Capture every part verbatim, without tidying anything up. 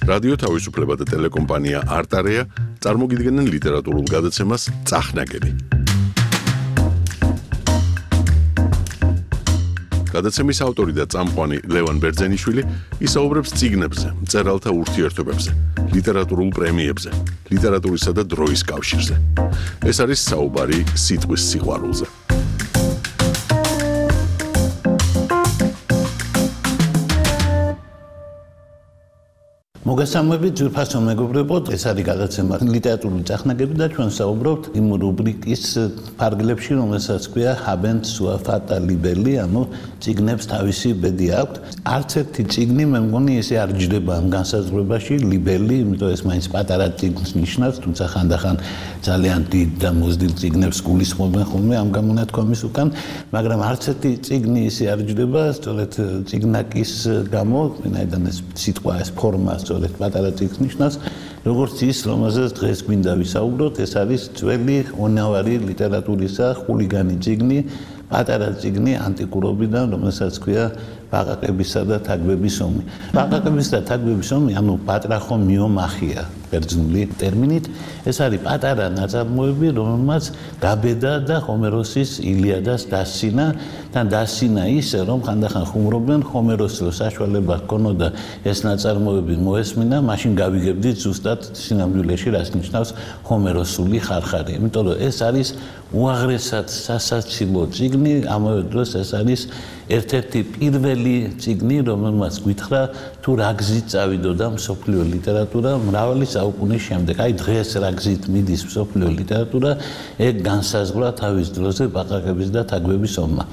რადიო თავისუფლება და ტელეკომპანია არტარეა წარმოგიდგენენ ლიტერატურულ გადაცემას წახნაგები. გადაცემის ავტორი და წამყვანი ლევან ბერძენიშვილი ისაუბრებს წიგნებზე, მწერალთა ურთიერთობებზე, ლიტერატურულ პრემიებზე, ლიტერატურისა და დროის კავშირზე. ეს არის საუბარი სიტყვის სიყვარულზე. მოგესალმებით ძვირფასო მეგობრებო, ეს არის გადაცემა ლიტერატურული წახნაგები და ჩვენ საუბრობთ იმ რუბრიკის ფარგლებში, რომელსაც ქვია Habent sua fata libelli, ანუ წიგნებს თავისი ბედი აქვთ. არც ერთი წიგნი მე მგონი ესე არ ჯდება ამ განსაზღვრებაში, libelli, იმიტომ ეს მაინც პატარა წიგნს ნიშნავს, თუმცა ხანდახან ძალიან დიდ და მოზრდილ წიგნებს გულისხმობენ ხოლმე ამ გამონათქვამის უკან, მაგრამ არც ერთი წიგნი ესე არ ჯდება, სწორედ წიგნაკის გამო, ვინაიდან ეს სიტყვა, ეს ფორმა სწორედ პატარა წიგნს ნიშნავს, როგორც ის, რომელზეც დღეს გვინდა ვისაუბროთ, ეს არის ძველი ონავარი ლიტერატურისა ხულიგანი წიგნი, პატარა წიგნი ანტიკურობიდან, რომელსაც ქვია ბაყაყებისა და თაგვების ომი. ბაყაყების და თაგვების ომი, ანუ პატრახო მიომახია ბერძნული ტერმინით, ეს არის პატარა ნაწარმოები, რომელმაც გაბედა და ჰომეროსის ილიადას დასცინა და დასცინა ისე, რომ ხანდახან ხუმრობენ ჰომეროსს რო საშუალება ჰქონოდა ეს ნაწარმოები მოესმინა, მაშინ გავიგებდით ზუსტად სინამდვილეში რას ნიშნავს ჰომეროსული ხარხარი. იმიტომ რომ ეს არის უაღრესად სასაცილო წიგნი, ამავე დროს ეს არის ერთ-ერთი პირველი წიგნი, რომელმაც გითხრა თუ რა გზით წავიდოდა მსოფლიო ლიტერატურა მრავალი საუკუნის შემდეგ. აი დღეს რა გზით მიდის მსოფლიო ლიტერატურა, ეგ განსაზღვრა თავის დროზე ბაყაყების და თაგვების ომმა.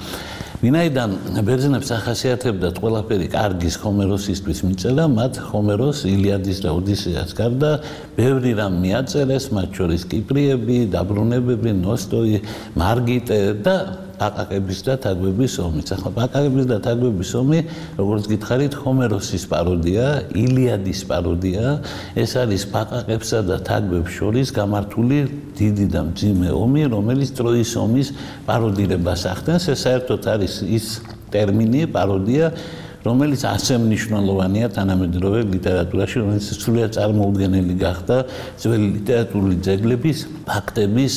ვინაიდან ბერძნებს ახასიათებდათ ყველაფერი კარგის ჰომეროსისთვის მიწერა, მათ ჰომეროს ილიადის და ოდისეას გარდა ბევრი რამ მიაწერეს, მათ შორის კიპრიები, დაბრუნებები, ნოსტოი, მარგიტე და ბაყაყების და თაგვების ომი. ახლა ბაყაყების და თაგვების ომი, როგორც გითხარით, ჰომეროსის პაროდია, ილიადის პაროდია. ეს არის ბაყაყებსა და თაგვებს შორის გამართული დიდი და მძიმე ომი, რომელიც ტროის ომის პაროდირებას ახდენს. ეს საერთოდ არის ის ტერმინი, პაროდია, რომელიც ასე მნიშვნელოვანია თანამედროვე ლიტერატურაში, რომელიც სრულიად წარმოუდგენელი გახდა ძველი ლიტერატურული ძეგლების, ფაქტების,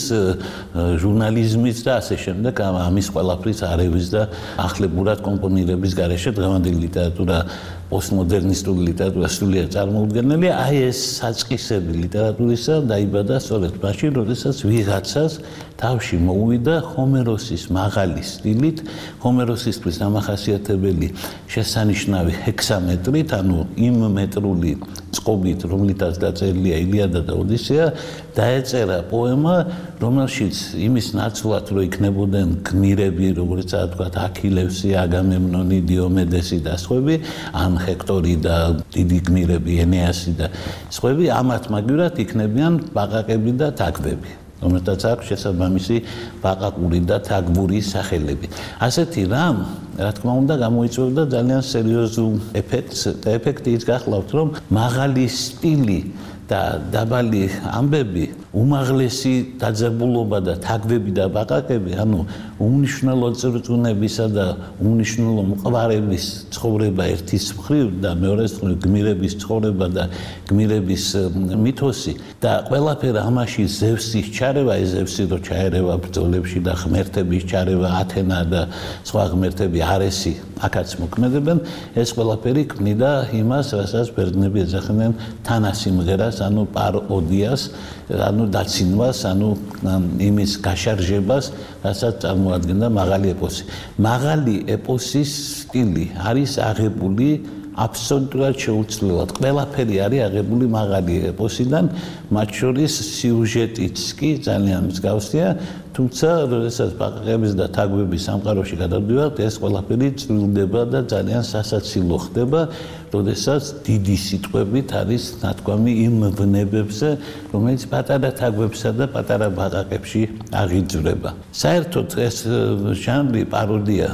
ჟურნალიზმის და ასე შემდეგ, ამის ყველაფრის არევის და ახლებურად კომპონირების გარეშე დღევანდელი ლიტერატურა, პოსტმოდერნისტული ლიტერატურა სრულიად წარმოუდგენელია. აი ეს საწყისები ლიტერატურისა დაიბადა სწორედ მაშინ, როდესაც ვიღაცას თავში მოუვიდა ჰომეროსის მაღალი სტილით, ჰომეროსისთვის დამახასიათებელი შესანიშნავი ჰექსამეტრით, ანუ იმ მეტრული წყობით, რომლითაც დაწერილია ილიადა და ოდისეა, დაეწერა პოემა, რომელშიც იმის ნაცვლად, რომ იქნებოდნენ გმირები, როგორიცაა თქვა აქილევსი, აგამემნონი, დიომედესი და სხვები, ან ჰექტორი და დიდი გმირები, ენეასი და სხვები, ამათ მაგივრად იქნებიან ბაყაყები და თაგვები, რომელთაც აქვს შესაბამისი ბაყაყური და თაგვური სახელები. ასეთი რამ, რა თქმა უნდა, გამოიწვევდა ძალიან სერიოზულ ეფექტს და ეფექტი ის გახლავთ, რომ მაღალი სტილი და დაბალი ამბები, უმაღლესი დაძაბულობა და თაგვები და ბაყაყები, ანუ უმნიშვნელო წრწუნებისა და უმნიშვნელო მყვარების ცხოვრება ერთის მხრივ და მეორეს მხრივ გმირების ცხოვრება და გმირების მითოსი და ყველაფერი ამაში ზევსის ჩარევა, ეს ზევსი რო ჩაერევა ბრძოლებში და ღმერთების ჩარევა, ათენა და სხვა ღმერთები, არესი აქაც მოქმედებენ, ეს ყველაფერი ქმნიდა იმას, რასაც ბერძნები ეძახდნენ თანასიმღერას, ანუ პაროდიას, ანუ დაცინვას, ანუ იმის გაშარჟებას, რასაც წარმოადგენდა მაღალი ეპოსი. მაღალი ეპოსის სტილი არის აღებული აბსოლუტურად შეუცვლელად. ყველაფერი არის აღებული მაღალი ეპოსიდან, მათ შორის სიუჟეტიც კი ძალიან მსგავსია, თუმცა როდესაც ბაყაყების და თაგვების სამყაროში გადავდივართ, ეს ყველაფერი წვრილდება და ძალიან სასაცილო ხდება, როდესაც დიდი სიტყვებით არის ნათქვამი იმ ვნებებზე, რომელიც პატარა თაგვებსა და პატარა ბაყაყებში აღიძვრება. საერთოდ ეს ჟანრი პაროდია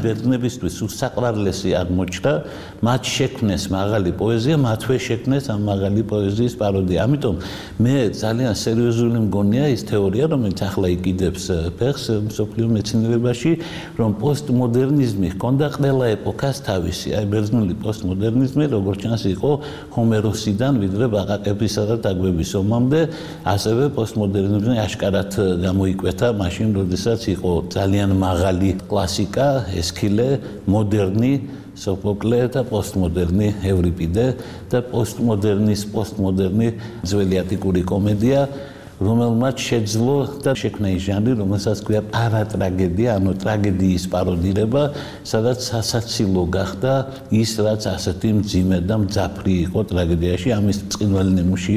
ბერძნებისთვის უსაყვარლესი აღმოჩნდა, მათ შექმნეს მაღალი პოეზია, მათვე შექმნეს ამ მაღალი პოეზიის პაროდია. ამიტომ მე ძალიან სერიოზული მგონია ის თეორია, რომელიც ახლა იყიდე უდიდებს ფეხს მსოფლიო მეცნიერებაში, რომ პოსტმოდერნიზმი ჰქონდა ყველა ეპოქას თავისი. აი ბერძნული პოსტმოდერნიზმი, როგორც ჩანს, იყო ჰომეროსიდან ვიდრე ბაყაყებისა და დაგვების ომამდე, ასევე პოსტმოდერნიზმი აშკარად გამოიკვეთა მაშინ, როდესაც იყო ძალიან მაღალი კლასიკა, ესქილე, მოდერნი სოფოკლე და პოსტმოდერნი ევრიპიდე და პოსტმოდერნის პოსტმოდერნი ძველი ატიკური კომედია, რომელმაც შეძლო და შექმნა ის ჟანრი, რომელსაც ქვია პარატრაგედია, ანუ ტრაგედიის პაროდირება, სადაც სასაცილო გახდა ის, რაც ასეთი მძიმე და მძაფრი იყო ტრაგედიაში. ამის ბრწყინვალე ნიმუში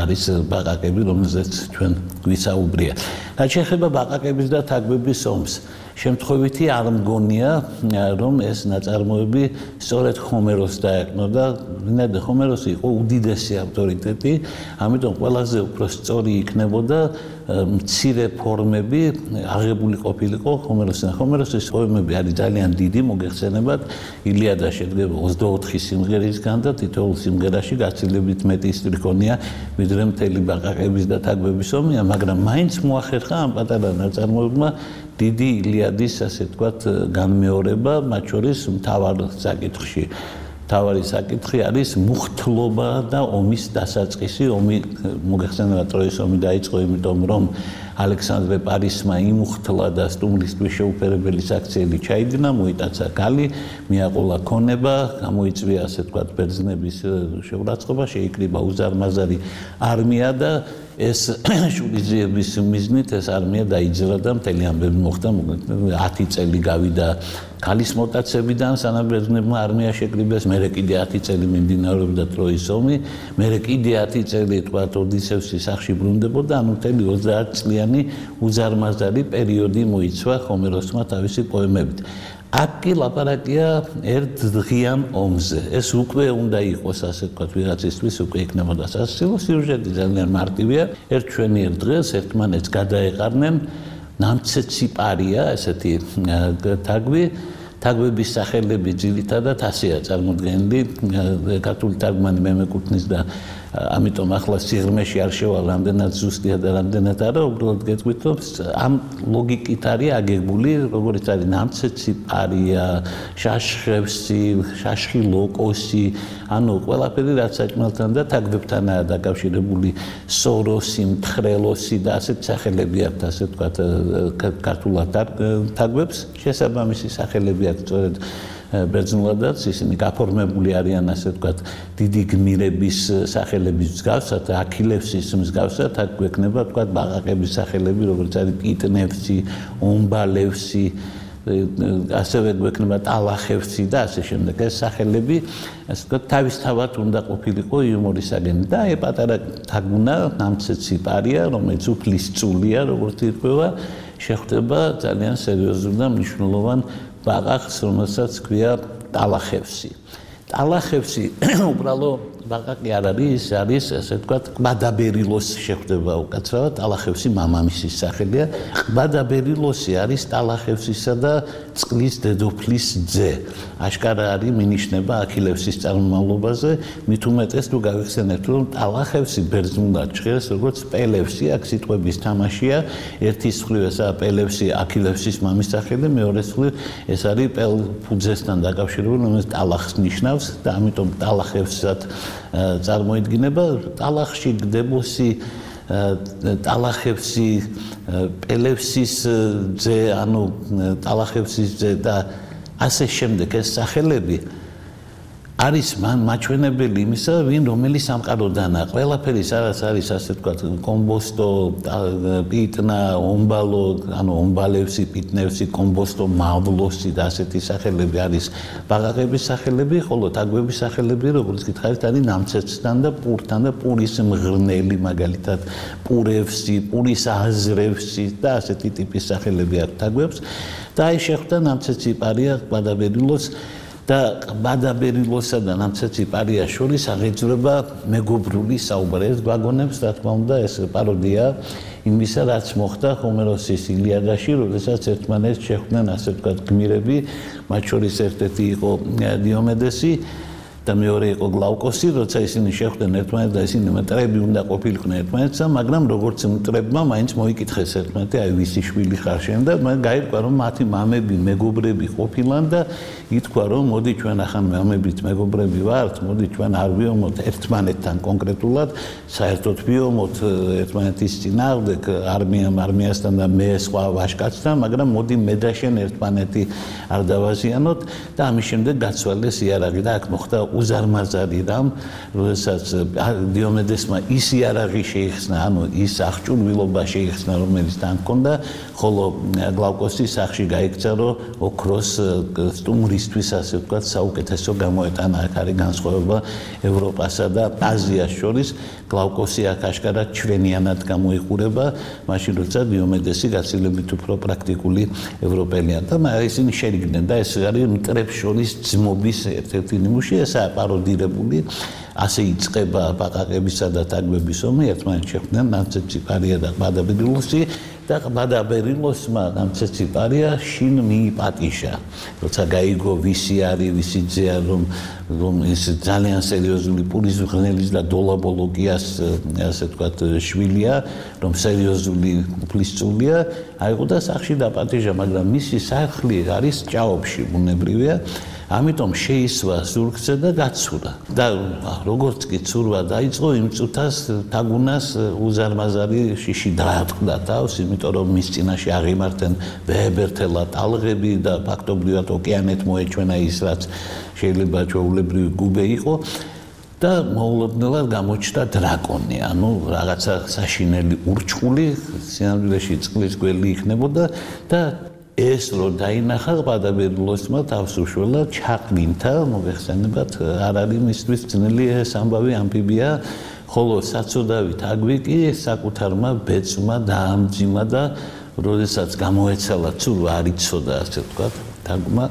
არის ბაყაყები, რომელზეც ჩვენ გვისაუბრია. რაც შეეხება ბაყაყების და თაგვების ომს, შემთხვევითი არ მგონია, რომ ეს ნაწარმოები სწორედ ჰომეროს დაეკნოდა. ვინაიდან ჰომეროსი იყო უდიდესი ავტორიტეტი, ამიტომ ყველაზე უფრო სწორი იქნებოდა მცირე ფორმები აღებული ყოფილიყო ჰომეროსთან. ჰომეროსის პოემები არის ძალიან დიდი, მოგეხსენებათ, ილიადა შედგება ოცდაოთხი სიმღერისგან და თითოეულ სიმღერაში გაცილებით მეტი სტრიქონია, ვიდრე მთელი ბაყაყების და თაგვების ომია, მაგრამ მაინც მოახერხა ამ პატარა ნაწარმოებმა დიდი ილიადის, ასე ვთქვათ, განმეორება, მათ შორის მთავარ საკითხში. მთავარი საკითხი არის მუხთლობა და ომის დასაწყისი. ომი, მოგეხსენებათ, ტროის ომი დაიწყო იმიტომ, რომ ალექსანდრე პარისმა იმუხთლა და სტუმრისთვის შეუფერებელი საქციელი ჩაიდინა, მოიტაცა გალი, მიაყოლა ქონება, გამოიწვია, ასე ვთქვათ, ბერძნების შეურაცხყოფა, შეიკრიბა უზარმაზარი არმია და ეს შურიძიების მიზნით ეს არმია დაიძრა და მთელი ამბები მოხდა. ათი წელი გავიდა ქალის მოტაცებიდან, სანამ ბერძნებმა არმია შეკრიბეს, მერე კიდე ათი წელი მიმდინარეობდა ტროის ომი, მერე კიდე ათი წელი თქვა ოდისევსის სახლში ბრუნდებოდა, ანუ მთელი ოცდაათი წლიანი უზარმაზარი პერიოდი მოიცვა ჰომეროსმა თავისი პოემებით. აქ კი ლაპარაკია ერთ დღიან ომზე. ეს უკვე უნდა იყოს, ასე ვთქვათ, ვიღაცისთვის უკვე იქნებოდა სასაცილო. სიუჟეტი ძალიან მარტივია. ერთ ჩვენიერ დღეს ერთმანეთს გადაეყარნენ ნამცეცი პარია, ესეთი თაგვი. თაგვების სახელები ძირითადად ასეა წარმოდგენილი. ქართული თარგმანი მე მეკუთვნის და ამიტომ ახლა სიღრმეში არ შევალ რამდენად ზუსტია და რამდენად არა, უბრალოდ გეტყვით, რომ ამ ლოგიკით არის აგებული, როგორც არის ნამცეცი პარია, შაშხევსი, შაშხი ლოკოსი, ანუ ყველაფერი რაც საჭმელთან და თაგვებთანაა დაკავშირებული, სოროსი, მთხრელოსი და ასეთ სახელები აქვთ, ასე ვთქვათ, ქართულად თაგვებს, შესაბამისი სახელები აქვთ სწორედ ბერძნულადაც, ისინი გაფორმებული არიან, ასე ვთქვათ, დიდი გმირების სახელების მსგავსად, აქილევსის მსგავსად, აქ გვექნება, ვთქვათ, ბაყაყების სახელები, როგორც არის პიტნევსი, ომბალევსი, ასევე გვექნება ტალახევსი და ასე შემდეგ. ეს სახელები, ასე ვთქვათ, თავისთავად უნდა ყოფილიყო იუმორისაგანი და აი პატარა თაგუნა, ნამცეცი პარია, რომელიც უფლისწულია, როგორც ირკვევა, შეხვდება ძალიან სერიოზულ და მნიშვნელოვან ბაყაყს, რომელსაც ქვია ტალახევსი. ტალახევსი უბრალო ბაყაყი არ არის, არის, ასე ვთქვათ, ყბადაბერილოს შეხვდება უკაცრავად, ტალახევსი მამამისის სახელია. ყბადაბერილოსი არის ტალახევსისა და წყლის დედოფლის ძე. აშკარა არის მინიშნება აქილევსის წარმომავლობაზე, მით უმეტეს თუ გავიხსენებთ, რომ ტალახევსი ბერძნულად ჟღერს როგორც პელევსი, აქ სიტყვების თამაშია, ერთი მხრივ ესაა პელევსი აქილევსის მამის სახელი, მეორე მხრივ ეს არის პელფუძესთან დაკავშირებული, რომელიც ტალახს ნიშნავს და ამიტომ ტალახევსად წარმოიდგინება. ტალახში გდებოსი, ტალახევსი, პელევსის ძე, ანუ ტალახევსის ძე და ასე შემდეგ ეს სახელები არის მან მაჩვენებელი იმისა, ვინ რომელი სამყაროდანა. ყველაფერი სადაც არის, ასე ვთქვათ, კომბოსტო, პიტნა, ომბალო, ანუ ომბალევსი, პიტნევსი, კომბოსტო, მავლოსი და ასეთი სახელები არის ბაყაყების სახელები, ხოლო თაგვების სახელები, როგორც გითხარით, არის ნამცეცთან და პურთან და პურის მღრნელი, მაგალითად, პურევსი, პურის აზრევსი და ასეთი ტიპის სახელები აქვს თაგვებს. და აი შეხვდა ნამცეცი პარია ყბადაბერილოს და ყბადაბერილოსა და ნამცეცი პარიას შორის აღიძვრება მეგობრული საუბარი. ეს გვაგონებს, რა თქმა უნდა, ეს პაროდია იმისა, რაც მოხდა ჰომეროსის ილიადაში, როდესაც ერთმანეთს შეხვდნენ, ასე ვთქვათ, გმირები, მათ შორის ერთ-ერთი იყო დიომედესი და მეორე იყო გლავკოსი, როცა ისინი შეხვდნენ ერთმანეთს და ისინი მტრები უნდა ყოფილიყვნენ ერთმანეთსა, მაგრამ როგორც მტრებმა მაინც მოიკითხეს ერთმანეთი, აი ვისი შვილი ხარ შენ და გაირკვა რომ მათი მამები, მეგობრები ყოფილან და ითქვა რომ მოდი ჩვენ ახან მამებით მეგობრები ვართ, მოდი ჩვენ არ ვიომოთ ერთმანეთთან კონკრეტულად, საერთოდ ვიომოთ ერთმანეთის წინააღმდეგ არმიამ არმიასთან და მე სხვა ვაჟკაცთან, მაგრამ მოდი მე და შენ ერთმანეთი არ დავაზიანოთ და ამის შემდეგ გაცვალეს იარაღი და აქ მოხდა უზარმაზარი რამ, როდესაც დიომედესმა ის იარაღი შეიხსნა, ანუ ის აღჭურვილობა შეიხსნა, რომელიც თან ჰქონდა, ხოლო გლავკოსის სახში გაიქცა, რომ ოქროს სტუმრისთვის, ასე ვთქვათ, საუკეთესო გამოეტანა. აქ არის განსხვავება ევროპასა და აზიას შორის. გლავკოსი აქ აშკარად ჩვენიანად გამოიყურება, მაშინ როცა დიომედესი გაცილებით უფრო პრაქტიკული ევროპელია და ისინი შერიგდნენ და ეს არის მტრებს შორის ძმობის ერთ-ერთი ნიმუში, ესაა პაროდირებული. ასე იწყება ბაყაყებისა და თაგვების ომი, ერთმანეთს შეხვდნენ ნამცეციპარია და ყბადაბერილოსი და ყბადაბერილოსმა ნამცეციპარია შინ მიიპატიშა. როცა გაიგო ვისი არის, ვისი ძეა, რომ რომ ის ძალიან სერიოზული პურიზღნელის და დოლაბოლოგიას, ასე ვთქვათ, შვილია, რომ სერიოზული უფლისწულია, აიღო და სახში დაპატიჟა, მაგრამ მისი სახლი არის ჭაობში, ბუნებრივია. ამიტომ შეისვა ზურგზე და გაცურა. და როგორც კი ცურვა დაიწყო, იმ წუთას თაგუნას უზარმაზარი შიში დაატყდა თავს, იმიტომ რომ მის წინაშე აღიმართენ ვეებერთელა ტალღები და ფაქტობრივად ოკეანეთ მოეჩვენა ის, რაც შეიძლება ჩვეულებრივი გუბე იყო. და მოულოდნელად გამოჩნდა დრაკონი, ანუ რაღაცა საშინელი ურჩხული, სინამდვილეში წყლის გველი იქნებოდა და ეს რო დაინახა ყბადაბერილოსმა თავს უშველა ჩაყლინთა, მოგეხსენებათ, არ არის მისთვის ძნელი ეს ამბავი ამფიბია, ხოლო საწოდავი თაგვი კი საკუთარმა ბეწმა დაამძიმა და როდესაც გამოეცალა ცურვა არ იცოდა, ასე ვთქვათ, თაგვმა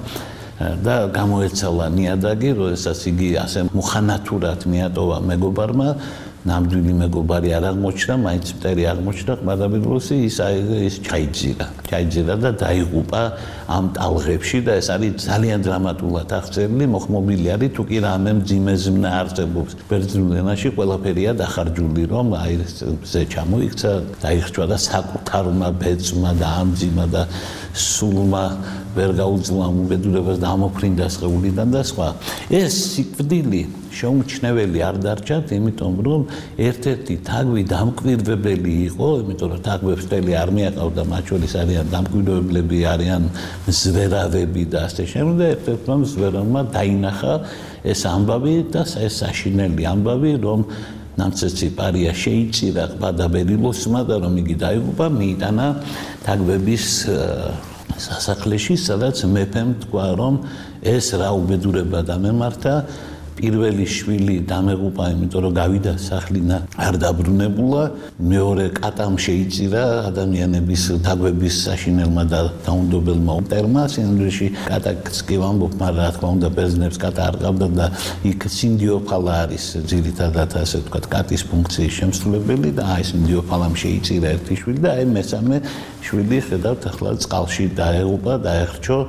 და გამოეცალა ნიადაგი, როდესაც იგი ასე მუხანათურად მიატოვა მეგობარმა, ნამდვილი მეგობარი არ აღმოჩნდა, მაინც მტერი აღმოჩნდა, ყბადაბერილოსი ის ის ჩაიძირა. ჩაიძირა და დაიღუპა ამ ტალღებში და ეს არის ძალიან დრამატულად აღწერილი, მოხმობილი არის თუ კი რამე მძიმე ზმნა არსებობს. ბერძნულ ენაში ყველაფერია დახარჯული, რომ აი ზე ჩამოიქცა, დაიხჭვა და საკუთარმა ბეწმა დაამძიმა და სულმა ვერ გაუძლო ამ უბედურებას და ამოფრინდა სხეულიდან და სხვა. ეს სიკვდილი შეუმჩნეველი არ დარჩათ, იმიტომ რომ ერთ-ერთი თაგვი დამკვირვებელი იყო, იმიტომ რომ თაგვებს მთელი არმია ყავდა, მათ შორის არიან დამკვირვებლები, არიან ზვერავები და ასე შემდეგ. ერთ-ერთმა ზვერავმა დაინახა ეს ამბავი და ეს საშინელი ამბავი, რომ ნამცეციპარია შეიწირა ყბადაბერილოსმა და რომ იგი დაიღუპა, მიიტანა თაგვების სასახლეში, სადაც მეფემ თქვა, რომ ეს რა უბედურება დამემართა, პირველი შვილი დამეღუპა, იმიტომ რომ გავიდა სახლინა არ დაბრუნებულა, მეორე კატამ შეიწირა ადამიანების თაგვების საშინელმა და დაუნდობელმა მტერმა, სინამდვილეში კატაც კი ვამბობ, მაგრამ რა თქმა უნდა ბერძნებს კატა არ ყავდა და იქ სინდიოფალა არის ძირითადად, ასე ვთქვათ, კატის ფუნქციის შემსრულებელი და აი სინდიოფალამ შეიწირა ერთი შვილი და აი მესამე შვილი ხედავთ ახლა წყალში დაეღუპა, დაეხრჩო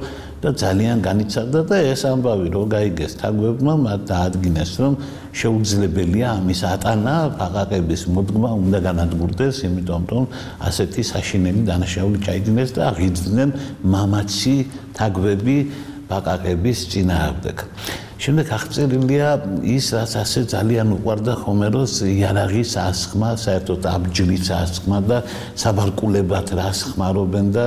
და ძალიან განიცადა და ეს ამბავი რო გაიგეს თაგვებმა, მათ დაადგინეს, რომ შეუძლებელია ამის ატანა, ბაყაყების მოდგმა უნდა განადგურდეს, იმიტომ რომ ასეთი საშინელი დანაშაული ჩაიდინეს და აღიძდნენ მამაცი თაგვები ბაყაყების წინააღმდეგ. შემდეგ აღწერილია ის, რაც ასე ძალიან უყვარდა ჰომეროს იარაღის ასხმა, საერთოდ აბჯრის ასხმა და საბარკულებად რას ხმარობენ და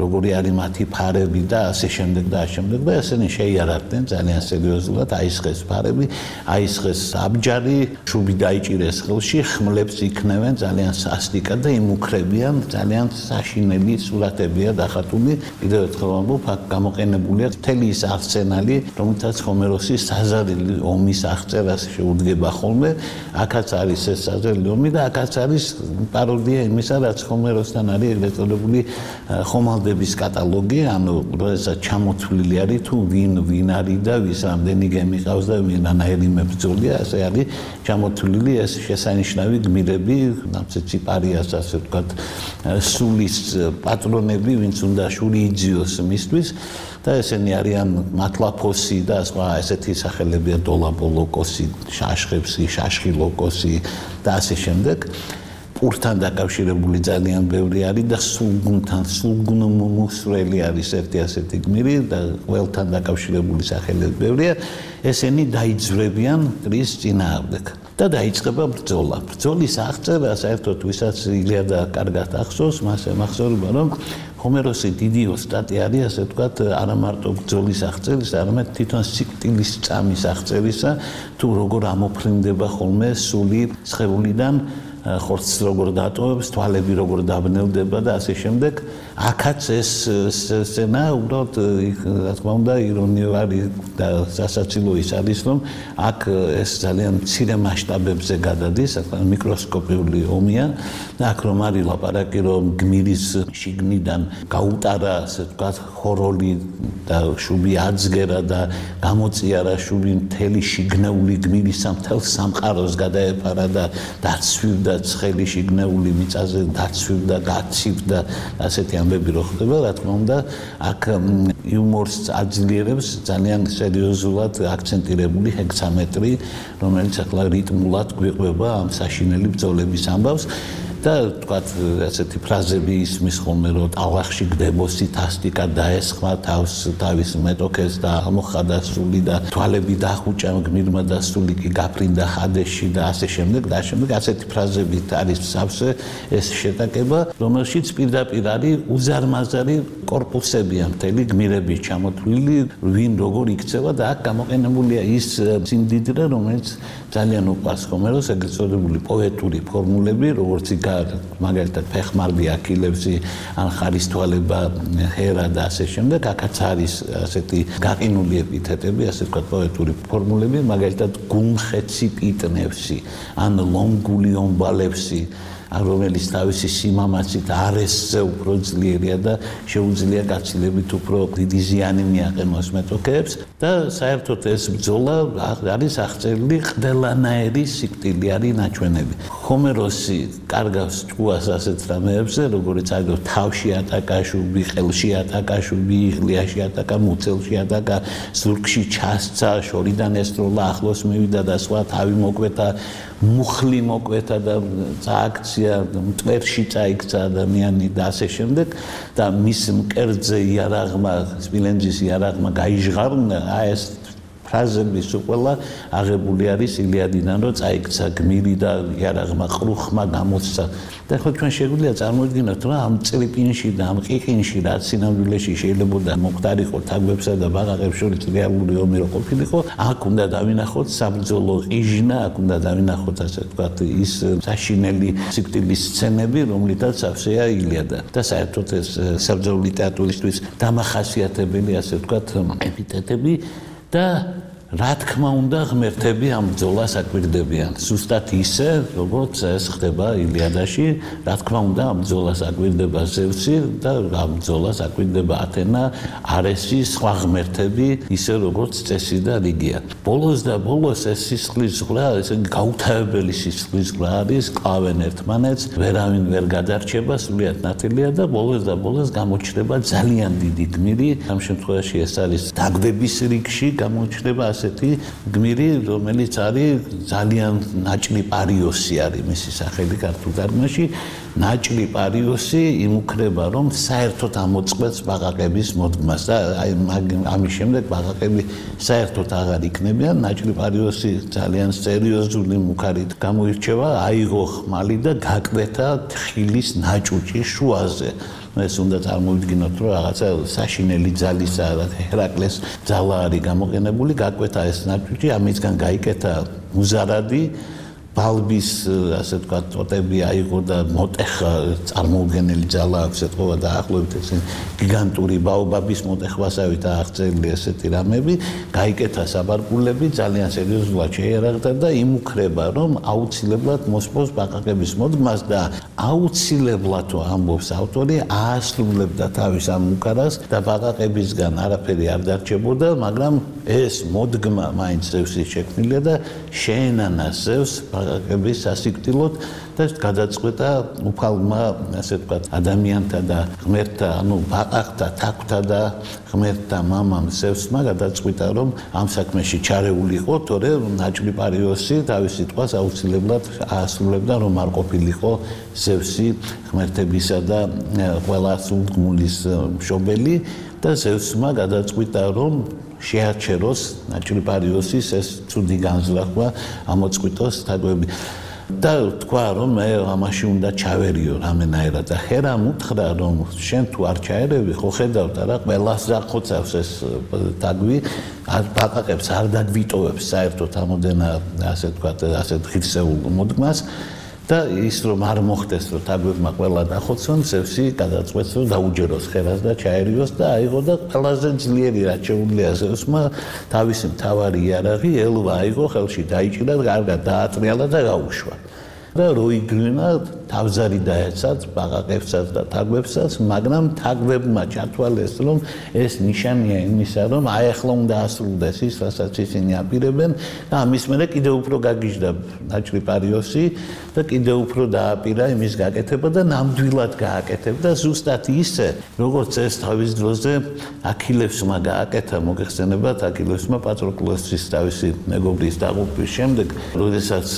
როგორი არის მათი ფარები და ასე შემდეგ და ასე შემდეგ და ესენი შეიარაღდნენ ძალიან სერიოზულად, აისხეს ფარები, აისხეს აბჯარი, შუბი დაიჭირეს ხელში, ხმლებს იქნევენ ძალიან სასტიკად და იმუქრებიან, ძალიან საშინელი სურათებია დახატული. კიდევ ერთხელ ვამბობ, აქ გამოყენებულია მთელი ის არსენალი, რომელთაც ჰომეროსი საზარელი ომის აღწერას შეუდგება ხოლმე. აქაც არის ეს საზარელი ომი და აქაც არის პაროდია იმისა, რაც ჰომეროსთან არის ეგრეთ წოდებული ხომალდების კატალოგი, ანუ როდესაც ჩამოთვლილი არის თუ ვინ ვინ არის და ვის რამდენი გემი ყავს და ვინანაირი მებრძოლია, ასე არის ჩამოთვლილი ეს შესანიშნავი გმირები, ნამცეციპარიას, ასე ვთქვათ, სულის პატრონები, ვინც უნდა შური იძიოს მისთვის და ესენი არიან მათლაფოსი და სხვა ეს ასეთი სახელებია დოლაპოლოკოსი, შაშხებსი, შაშხილოკოსი და ასე შემდეგ. პურთან დაკავშირებული ძალიან ბევრი არის და სულგუნთან, სულგუნმუსრელი არის ერთი ასეთი გმირი და ყველთან დაკავშირებული სახელები ბევრია. ესენი დაიძვრებიან მტრის წინააღმდეგ და დაიწყება ბრძოლა. ბრძოლის აღწერა საერთოდ ვისაც ილიადა კარგად ახსოვს, მას ემახსოვრება, რომ ჰომეროსი დიდი ოსტატი არის, ასე ვთქვათ, არა მარტო ბრძოლის აღწერისა, არამედ თვითონ სიკვდილის წამის აღწერისა, თუ როგორ ამოფრინდება ხოლმე სული სხეულიდან, ხორცს როგორ დატოვებს, თვალები როგორ დაბნელდება და ასე შემდეგ. აქაც ეს სცენა უბრალოდ, რა თქმა უნდა, ირონიული და სასაცილო ის არის, რომ აქ ეს ძალიან მცირე მასშტაბებზე გადადის, მიკროსკოპიული ომია და აქ რომ არის ლაპარაკი, რომ გმირის შიგნიდან გაუტარა, ასე ვთქვათ, ხოროლი და შუბი adzgera და გამოწიარა შუბი მთელი შიგნეული გმირისა მთელ სამყაროს გადაეფარა და დაცვივდა ცხელი შიგნეული მიწაზე დაცვივდა, გაცივდა ასეთი ამბები რო ხდება, რა თქმა უნდა, აქ იუმორს აძლიერებს ძალიან სერიოზულად აქცენტირებული ჰექსამეტრი, რომელიც ახლა რიტმულად გვიყვება ამ საშინელი ბრძოლების ამბავს. და თქვათ ასეთი ფრაზები ისმის ხოლმე, რომ ტალახში გდებოსი თასტიკა დაესხმა თავს თავის მეტოქეს და ამოხადა სული და თვალები დახუჭა გმირმა და სული კი გაფრინდა ხადეში და ასე შემდეგ და შემდეგ ასეთი ფრაზებით არის სავსე ეს შეტაკება, რომელშიც პირდაპირ არის უზარმაზარი კორპუსებია მთელი გმირების ჩამოთვლილი, ვინ როგორ იქცევა და აქ გამოყენებულია ის სიმდიდრე, რომელიც ძალიან უყვარს ჰომეროს, ეგრეთ წოდებული პოეტური ფორმულები, როგორც მაგალითად ფეხმარბი აქილევსი, ან ხარისთვალება ჰერა და ასე შემდეგ, აქაც არის ასეთი გაყინული ეპითეტები, ასე ვთქვათ, პოეტური ფორმულები, მაგალითად გულმხეცი პიტნევსი, ან ლომგული ომბალევსი, რომელიც თავისი სიმამაცით არესზე უფრო ძლიერია და შეუძლია გაცილებით უფრო დიდი ზიანი მიაყენოს მეტოქეებს და საერთოდ ეს ბრძოლა არის აღწერილი ყველანაირი სიკვდილი არის ნაჩვენები. ჰომეროსი კარგავს ჭკუას ასეთ რამეებზე, როგორც აგერ თავში ატაკა შუბი, ხელში ატაკა შუბი, იღლიაში ატაკა, მუცელში ატაკა, ზურგში ჩასცა, შორიდან ესროლა, ახლოს მივიდა და სხვა თავი მოკვეთა, მუხლი მოკვეთა და წააქცია, მტვერში წაიქცა ადამიანი და ასე შემდეგ და მის მკერდზე იარაღმა, სპილენძის იარაღმა გაიჟღარნა, აი ეს ფრაზების უყველა აღებული არის ილიადიდან, რომ წაიქცა გმირი და იარაღმა ყრუხმა გამოსცა. და ხო ჩვენ შეგვიძლია წარმოვიდგინოთ, რომ ამ წლიკინში და ამ ყიყინში, რაც სინამდვილეში შეიძლება მოხდარიყო თაგვებსა და ბაყაყებს შორის რეალური ომი რო ყოფილიყო, აქ უნდა დავინახოთ საბრძოლო ყიჟნა, აქ უნდა დავინახოთ ასე ვთქვათ ის საშინელი სიკვდილის სცენები, რომლითაც სავსეა ილიადა. და საერთოდ ეს საბრძოლო ლიტერატურისთვის დამახასიათებელი ასე ვთქვათ ეპითეტები და რა თქმა უნდა ღმერთები ამ ბრძოლას აკვირდებიან. ზუსტად ისე, როგორც ეს ხდება ილიადაში, რა თქმა უნდა ამ ბრძოლას აკვირდება ზევსი და ამ ბრძოლას აკვირდება ათენა, არესი, სხვა ღმერთები, ისე როგორც წესი და რიგია. ბოლოს და ბოლოს ეს სისხლის ზღვრა, ესე გაუთავებელი სისხლის ზღვრა არის, კლავენ ერთმანეთს, ვერავინ ვერ გადარჩება, სულიად ნათელია და ბოლოს და ბოლოს გამოჩნდება ძალიან დიდი გმირი. ამ შემთხვევაში ეს არის დაგვების რიგში გამოჩნდება ასეთი გმირი, რომელიც არის ძალიან ნაჭლი პარიოსი არის მისი სახელი ქართულ თარგმანში. ნაჭლი პარიოსი იმუქრება, რომ საერთოდ ამოწყვეტს ბაყაყების მოდგმას და აი ამის შემდეგ ბაყაყები საერთოდ აღარ იქნებიან. ნაჭლი პარიოსი ძალიან სერიოზული მუქარით გამოირჩევა, აიღო ხმალი და გაკვეთა თხილის ნაჭუჭი შუაზე. ეს უნდა წარმოვიდგინოთ, რომ რაღაცა საშინელი ძალისა, ჰერაკლეს ძალა არის გამოყენებული, გაკვეთა ეს ნაჭუჭი, ამისგან გაიკეთა მუზარადი, ბალბის, ასე ვთქვათ, ტოტები აიღო და მოტეხა, წარმოუდგენელი ძალა აქვს ეთყობა და ახლობით ეს გიგანტური ბაობაბის მოტეხვასავით აღწერილი ესეთი რამები, გაიკეთა საბარკულები, ძალიან სერიოზულად შეიარაღდა და იმუქრება, რომ აუცილებლად მოსპოს ბაყაყების მოდგმას და აუცილებლად ამბობს ავტორი, აასრულებდა თავის ამ მუქარას და ბაყაყებისგან არაფერი არ დარჩებოდა, მაგრამ ეს მოდგმა მაინც ზევსის შექმნილია და შეენანა ზევს ბაყაყების სასიკვდილოდ და გადაწყვეტა უფალმა, ასე ვთქვათ, ადამიანთა და ღმერთთა, ანუ ბაყაყთა, თაგვთა და ღმერთთა მამამ ზევსმა გადაწყვიტა, რომ ამ საქმეში ჩარეულიყო, თორე ნაჭრიპარიოსი თავის სიტყვას აუცილებლად აასრულებდა, რომ არ ყოფილიყო ზევსი ღმერთებისა და ყველა სულგმულის მშობელი და ზევსმა გადაწყვიტა, რომ შეაჩეროს ნაჭრიპარიოსის ეს ცუდი განზრახვა, ამოწყვიტოს თაგვები. და თქვა, რომ მე ამაში უნდა ჩავერიო რამენაერად და ჰერამ უთხრა, რომ შენ თუ არ ჩაერევი, ხო ხედავთ რა, ყველას დახოცავს ეს თაგვი, ბაყაყებს არ დაგვიტოვებს საერთოდ ამოდენა, ასე ვთქვათ, ასე ღირსეულ მოდგმას. და ის რომ არ მოხდეს, რომ თაგვებმა ყველა დახოცონ, ზევსი გადაწყვეტს, რომ დაუჯეროს ხერას და ჩაერიოს და აიღო და ყველაზე ძლიერი რაც შეუძლია ზევსმა თავისი მთავარი იარაღი ელვა აიღო, ხელში დაიჭირა, კარგად დაატრიალა და გაუშვა. და როიგრინა თავზარი დაეცათ ბაყაყებსაც და თაგვებსაც, მაგრამ თაგვებმა ჩათვალეს, რომ ეს ნიშანია იმისა, რომ აი ახლა უნდა ასრულდეს ის, რასაც ისინი აპირებენ და ამის მერე კიდევ უფრო გაგიჟდა ნაჭრიპარიოსი და კიდევ უფრო დააპირა იმის გაკეთება და ნამდვილად გააკეთებდა ზუსტად ისე, როგორც ეს თავის დროზე აქილევსმა გააკეთა, მოგეხსენებათ, აქილევსმა პატროკლოსის თავისი მეგობრის დაღუპვის შემდეგ, როდესაც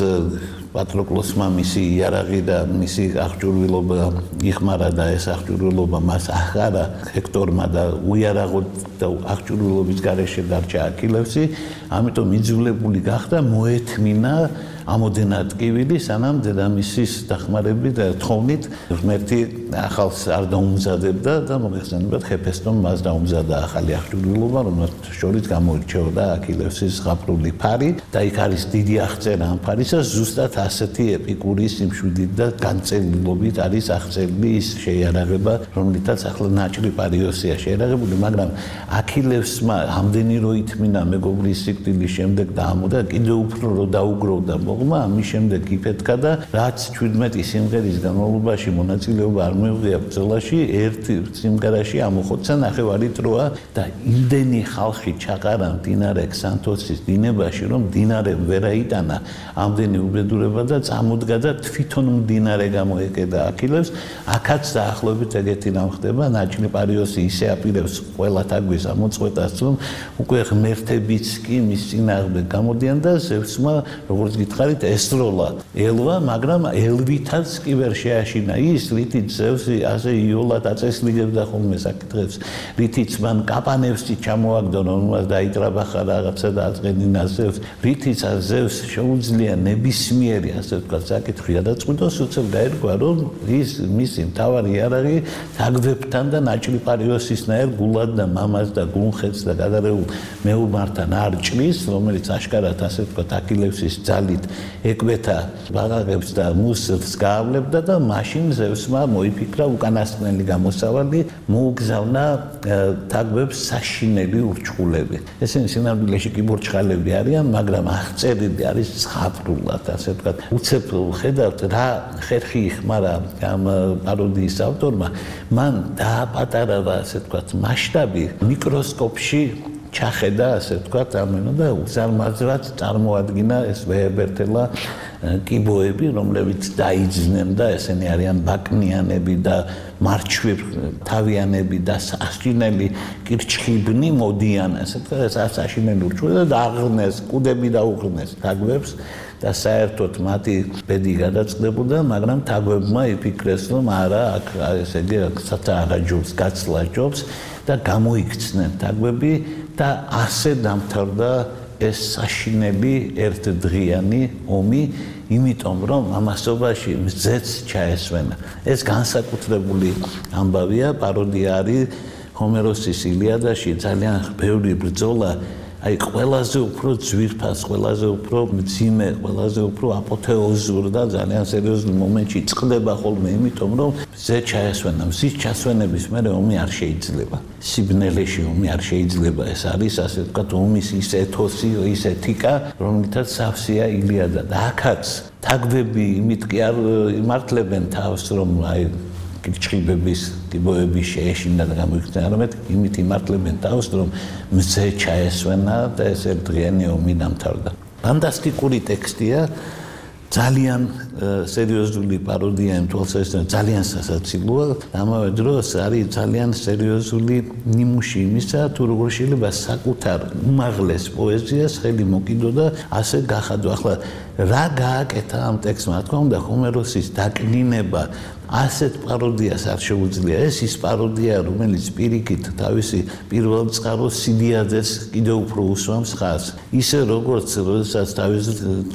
პატროკლოსმა მისი იარაღი და მისი აღჭურვილობა იხმარა და ეს აღჭურვილობა მას ახარა ჰექტორმა და უიარაღოდ და აღჭურვილობის გარეშე დარჩა აქილევსი, ამიტომ იძულებული გახდა მოეთმინა ამოდენა ტკივილი, სანამ დედამისის დახმარებით და თხოვნით ღმერთი ახალს არ დაუმზადებდა და მოგეხსენებათ, ჰეფესტომ მას დაუმზადა ახალი აღჭურვილობა, რომელსაც შორის გამოირჩეოდა აქილევსის ზღაპრული ფარი და იქ არის დიდი აღწერა ამ ფარისა, ზუსტად ასეთი ეპიკური სიმშვიდით და განწელილობით არის აღწერილი ის შეიარაღება, რომლითაც ახლა ნაჭრიპარიოსია შეიარაღებული, მაგრამ აქილევსმა ამდენი რო ითმინა მეგობრის სიკვდილის შემდეგ და ამოდა კიდევ უფრო რო დაუგროვდა მოგმა, ამის შემდეგ იფეთქა და რაც ჩვიდმეტი სიმღერის განმავლობაში მონაწილეობა არ მიუღია ბრძოლაში, ერთ სიმღერაში ამოხოცა ნახევარი დროა და იმდენი ხალხი ჩაყარა მდინარე ქსანთოსის დინებაში, რომ მდინარე ვერ აიტანა ამდენი უბედურება და წამოდგა და თვითონ მდინარე გამოეკედა აქილევს. აქაც დაახლოებით ეგეთი რამ ხდება, ნაჭრიპარიოსი ისე აპირებს ყველა თაგვის ამოწყვეტას, რომ უკვე ღმერთებიც კი მის წინააღმდეგ გამოდიან და ზევსმა, როგორც გითხარით, ესროლა ელვა, მაგრამ ელვითაც კი ვერ შეაშინა ის, რითიც ზევსი ასე იოლად აწესრიგებდა ხოლმე საკითხებს, რითიც მან კაპანევსი ჩამოაგდო, რომელმაც დაიტრაბახა რაღაცა და აწყენინა ზევს, რითიც ზევს შეუძლია ნებისმიერი, ასე ვთქვათ, საკითხი გადაწყვიტოს, უცებ გაერგვა, რომ ის მისი მთავარი იარაღი თაგვებთან და ნაჭრიპარიოსისნაირ გულად და მამას და გულხეთს და გადარეულ მეომართან არ ჭრის, რომელიც აშკარად, ასე ვთქვათ, აქილევსის ძალით ეკვეთა ბაყაყებს და მუსლს გაავლებდა და მაშინ ზევსმა მოიფიქრა უკანასკნელი გამოსავალი, მოუგზავნა თაგვებს საშინელი ურჩხულები. ესენი სინამდვილეში კი ბურჩხალები არიან, მაგრამ აღწერილი არის ზღაპრულად, ასე ვთქვათ. უცებ ხედავთ რა ხერხი იხმარა ამ პაროდიის ავტორმა, მან დააპატარავა, ასე ვთქვათ, მასშტაბი მიკროსკოპში ჩახედა, ასე ვთქვათ, ამენა და უზარმაზრად წარმოადგინა ეს ვეებერთელა კიბოები, რომლებიც დაიძნენ და ესენი არიან ბაკნიანები და მარჩვი თავიანები და საშინელი კირჩხიბნი მოდიან, ასე ვთქვათ, საშინელი ურჩხული და აღღნეს, კუდები დაუღნეს თაგვებს და საერთოდ მათი ბედი გადაწყდებოდა, მაგრამ თაგვებმა იფიქრეს, რომ არა, აქ ესე იგი საცა აღაჯობს, გაცლა ჯობს და გამოიქცნენ თაგვები და ასე დამთავრდა ეს საშინელი ერთდღიანი ომი, იმიტომ რომ ამასობაში მზეც ჩაესვენა. ეს განსაკუთრებული ამბავია, პაროდია არის ჰომეროსის ილიადაში, ძალიან ბევრი ბრძოლა, აი ყველაზე უფრო ძვირფას, ყველაზე უფრო მძიმე, ყველაზე უფრო აპოთეოზურ და ძალიან სერიოზულ მომენტში წყდება ხოლმე, იმიტომ რომ მზე ჩაესვენა, მზის ჩასვენების მერე ომი არ შეიძლება. სიბნელეში ომი არ შეიძლება, ეს არის ასე ვთქვათ, ომის ის ეთოსი, ის ეთიკა, რომლითაც სავსეა ილიადა და აქაც თაგვები იმით კი არ იმართლებენ თავს, რომ აი კირჩხიბების კიბოების შეეშინა და გამოიქცნენ, არამედ იმით იმართლებენ თავს, რომ მზე ჩაესვენა და ეს ერთდღიანი ომი დამთავრდა. ფანტასტიკური ტექსტია, ძალიან სერიოზული პაროდია იმ თვალსაზრისით ძალიან სასაცილოა, ამავე დროს არის ძალიან სერიოზული ნიმუში იმისა, თუ როგორ შეიძლება საკუთარ უმაღლეს პოეზიას ხელი მოკიდო და ასე გახადო. ახლა რა გააკეთა ამ ტექსტმა? რა თქმა უნდა, ჰომეროსის დაკნინება ასეთ პაროდიას არ შეუძლია. ეს ის პაროდია, რომელიც პირიქით თავისი პირველ წყაროს სიდიადეს კიდევ უფრო უსვამს ხაზს. ისე როგორც როდესაც თავის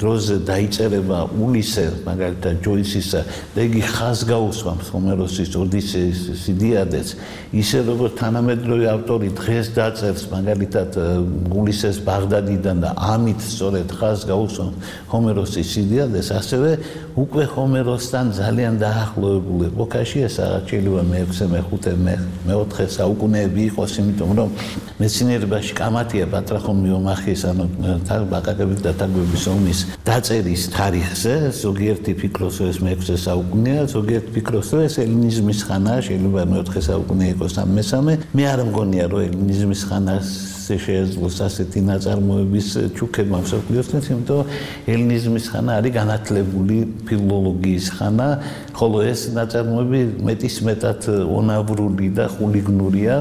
დროზე დაიწერება ულისე, მაგალითად ჯოისისა, და იგი ხაზს გაუსვამს ჰომეროსის ოდისეის სიდიადეს, ისე როგორც თანამედროვე ავტორი დღეს დაწერს მაგალითად ულისეს ბაღდადიდან და ამით სწორედ ხაზს გაუსვამს ჰომეროსის სიდიადეს, ასევე უკვე ჰომეროსთან ძალიან დაახლოებული ეპოქაში, ეს რაღაც შეიძლება მეექვსე, მეხუთე, მეოთხე საუკუნეები იყოს, იმიტომ რომ მეცნიერებაში კამათია პატრახონ მიომახის, ანუ ბაყაყების და თარგმნების ომის დაწერის თარიღზე, ზოგიერთი ფიქრობს, რომ ეს მეექვსე საუკუნეა, ზოგიერთი ფიქრობს, რომ ეს ელინიზმის ხანაა, შეიძლება მეოთხე საუკუნე იყოს ამ მესამე. მე არ მგონია, რომ ელინიზმის ხანას შეეძლოს ასეთი ნაწარმოების ჩუქება მსოფლიოსთვის, იმიტომ რომ ელინიზმის ხანა არის განათლებული ფილოლოგიის ხანა, ხოლო ეს ნაწარმოები მეტისმეტად ონავრული და ხულიგნურია.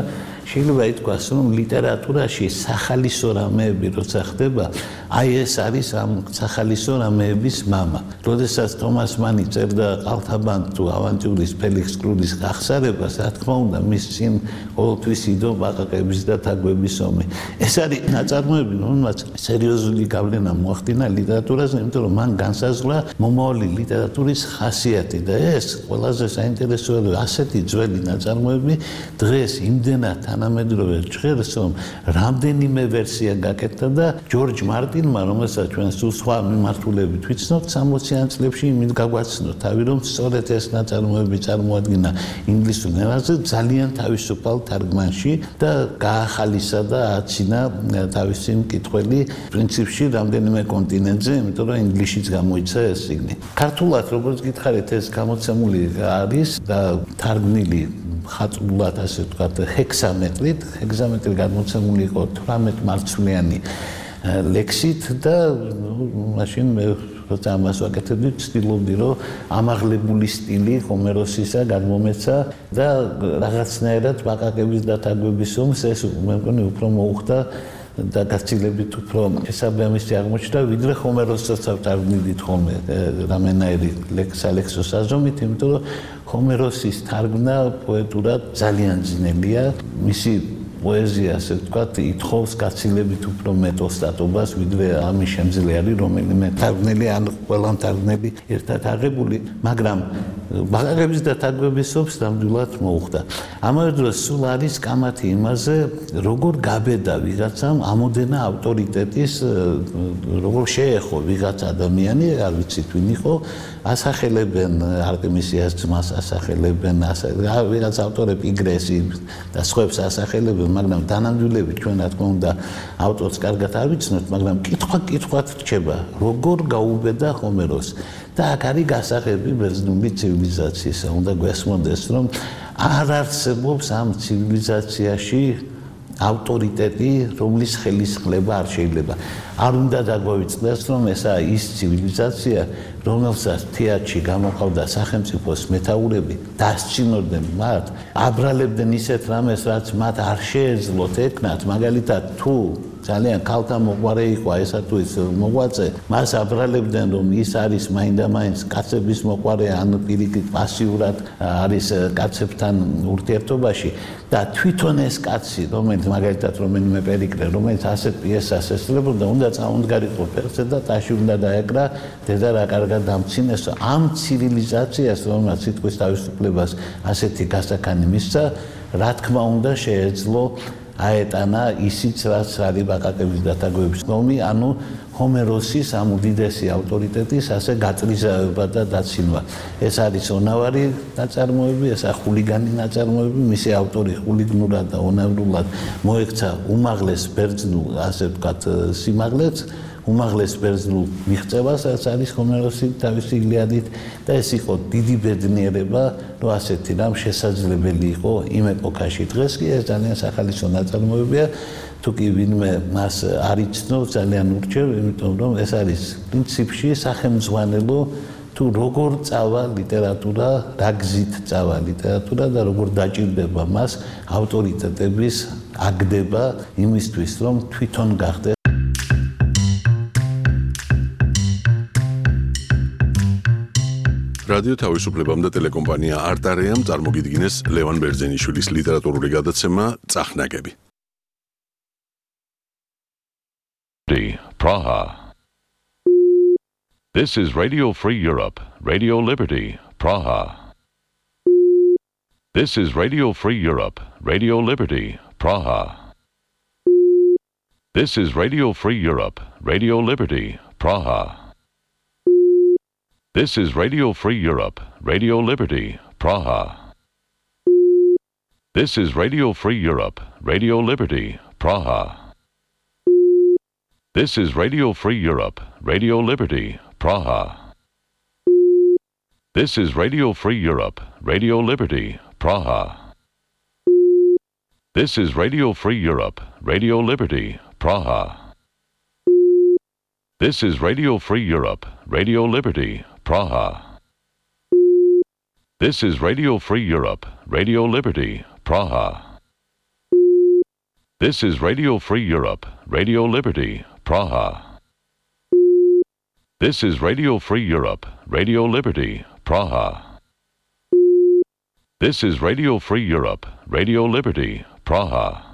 შეიძლება ითქვას, რომ ლიტერატურაში სახალისო რამეები როცა ხდება, აი ეს არის ამ სახალისო რამეების მამა. როდესაც თომას მანი წერდა ყალთაბანკ თუ ავანტიურის ფელიქს კრუდის გახსარებას, რა თქმა უნდა, მის წინ ყოველთვის იდო ბაყაყების და თაგვების ომი. ეს არის ნაწარმოები, რომელმაც სერიოზული გავლენა მოახდინა ლიტერატურაზე, იმიტომ რომ მან განსაზღვრა მომავალი ლიტერატურის ხასიათი და ეს ყველაზე საინტერესოა, რომ ასეთი ძველი ნაწარმოები დღეს იმდენად თანამედროვე ჟღერს, რომ რამდენიმე ვერსია გაკეთდა და ჯორჯ მარტინმა, რომელსაც ჩვენ სულ სხვა მიმართულებით ვიცნობთ, სამოციან წლებში იმით გაგვაცნო თავი, რომ სწორედ ეს ნაწარმოები წარმოადგინა ინგლისურ ენაზე ძალიან თავისუფალ თარგმანში და გაახალისა და აცინა თავისი მკითხველი პრინციპში რამდენიმე კონტინენტზე, იმიტომ რომ ინგლისშიც გამოიცა ეს წიგნი. ქართულად, როგორც გითხარით, ეს გამოცემული არის და თარგმნილი ხატულად, ასე ვთქვათ, ჰექსამეტრით. ჰექსამეტრი გადმოცემული იყო თვრამეტ მარცვლიანი ლექსით და მაშინ მე როცა ამას ვაკეთებდი, ვცდილობდი, რომ ამაღლებული სტილი ჰომეროსისა გადმომეცა და რაღაცნაირად ბაყაყების და თაგვების ომს ეს მე მგონი უფრო მოუხდა და გაცილებით უფრო შესაბამისი აღმოჩნდა, ვიდრე ჰომეროსაც ავტარგმნით ხოლმე რამენაირი ლექსალექსო საზომით, იმიტომ რომ ჰომეროსის თარგმნა პოეტურად ძალიან ძნელია, მისი პოეზია, ასე ვთქვათ, ითხოვს გაცილებით უფრო მეტ ოსტატობას, ვიდრე ამის შემძლე არის რომელიმე თარგმნელი ან ყველა მთარგმნელი ერთად აღებული, მაგრამ ბაყაყების და თაგვების ომს ნამდვილად მოუხდა. ამავე დროს სულ არის კამათი იმაზე, როგორ გაბედა ვიღაცამ ამოდენა ავტორიტეტის, როგორ შეეხო ვიღაც ადამიანი, არ ვიცით ვინ იყო, ასახელებენ არტემისიას ძმას, ასახელებენ ვიღაც ავტორები იგრესი და სხვებს ასახელებენ, მაგრამ დანამდვილებით ჩვენ რა თქმა უნდა ავტორს კარგად არ ვიცნობთ, მაგრამ კითხვა კითხვად რჩება, როგორ გაუბედა ჰომეროს. და აქ არის გასაღები ბერძნული ცივილიზაციისა. უნდა გვესმოდეს, რომ არ არსებობს ამ ცივილიზაციაში ავტორიტეტი, რომლის ხელისხლება არ შეიძლება. არ უნდა დაგვავიწყდეს, რომ ესაა ის ცივილიზაცია, რომელსაც თეატრში გამოყავდა სახელმწიფოს მეთაურები, დასცინორდნენ მათ, აბრალებდნენ ისეთ რამეს, რაც მათ არ შეეძლოთ ეკნათ, მაგალითად თუ ძალიან ქალთა მოყვარე იყო ესა თუ ის მოღვაწე, მას აბრალებდნენ, რომ ის არის მაინდა-მაინც კაცების მოყვარე, ან პირიქით პასიურად არის კაცებთან ურთიერთობაში და თვითონ ეს კაცი, რომელიც მაგალითად რომელიმე პერიკლე, რომელიც ასეთ პიესას ესწრებოდა, უნდა წამოდგარიყო ფეხზე და ტაში უნდა დაეკრა, დედა რა კარგად დამცინესო. ამ ცივილიზაციას, რომელსაც სიტყვის თავისუფლებას ასეთი გასაქანი მისცა, რა თქმა უნდა შეეძლო აეტანა ისიც, რაც არის ბაყაყების და თაგვების ომი, ანუ ჰომეროსის ამ უდიდესი ავტორიტეტის ასე გაწრიზავება და დაცინვა. ეს არის ონავარი ნაწარმოები, ესა ხულიგანი ნაწარმოები, მისი ავტორი ხულიგნურად და ონავრულად მოექცა უმაღლეს ბერძნულ, ასე ვთქვათ, სიმაღლეც, უმაღლეს ბერძნულ მიღწევას, რაც არის ჰომეროსი თავისი ილიადით და ეს იყო დიდი ბედნიერება, რომ ასეთი რამ შესაძლებელი იყო იმ ეპოქაში. დღეს კი ეს ძალიან სახალისო ნაწარმოებია, თუ კი ვინმე მას არ იცნობს, ძალიან ურჩევ, იმიტომ რომ ეს არის პრინციპში სახელმძღვანელო თუ როგორ წავა ლიტერატურა, რა გზით წავა ლიტერატურა და როგორ დაჭირდება მას ავტორიტეტების აგდება იმისთვის, რომ თვითონ გახდეს რადიო თავისუფლებამ და ტელეკომპანია არტარეამ წარმოგიდგინეს ლევან ბერძენიშვილის ლიტერატურული გადაცემა წახნაგები. Praha. This is Radio Free Europe, Radio Liberty, Praha. This is Radio Free Europe, Radio Liberty, Praha. This is Radio Free Europe, Radio Liberty, Praha. This is Radio Free Europe, Radio Liberty, Praha. This is Radio Free Europe, Radio Liberty, Praha. This is Radio Free Europe, Radio Liberty, Praha. This is Radio Free Europe, Radio Liberty, Praha. This is Radio Free Europe, Radio Liberty, Praha. This is Radio Free Europe, Radio Liberty, Praha. This is Radio Free Europe, Radio Liberty, Praha. This is Radio Free Europe, Radio Liberty, Praha. This is Radio Free Europe, Radio Liberty, Praha. This is Radio Free Europe, Radio Liberty, Praha.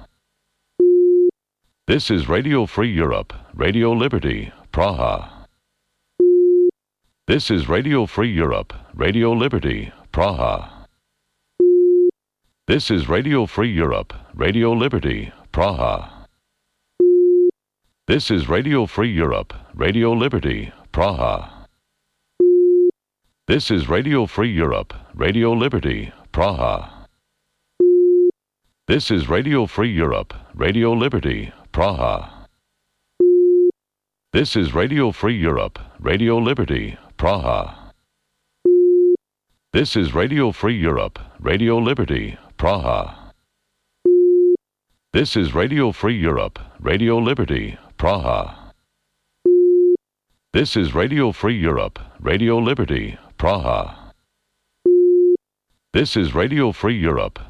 This is Radio Free Europe, Radio Liberty, Praha. This is Radio Free Europe, Radio Liberty, Praha. This is Radio Free Europe, Radio Liberty, Praha. This is Radio Free Europe, Radio Liberty, Praha. This is Radio Free Europe, Radio Liberty, Praha. This is Radio Free Europe, Radio Liberty, Praha. This is Radio Free Europe, Radio Liberty, Praha. This is Radio Free Europe, Radio Liberty, Praha. This is Radio Free Europe, Radio Liberty, Praha. This is Radio Free Europe, Radio Liberty, Praha. This is Radio Free Europe,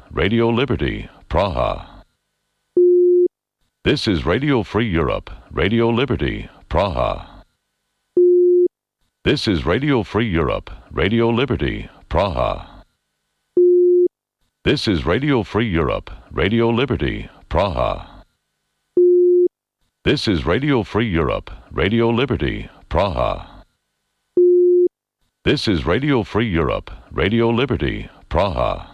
Radio Liberty, Praha. This is Radio Free Europe, Radio Liberty, Praha. This is Radio Free Europe, Radio Liberty, Praha. This is Radio Free Europe, Radio Liberty, Praha. This is Radio Free Europe, Radio Liberty, Praha. This is Radio Free Europe, Radio Liberty, Praha.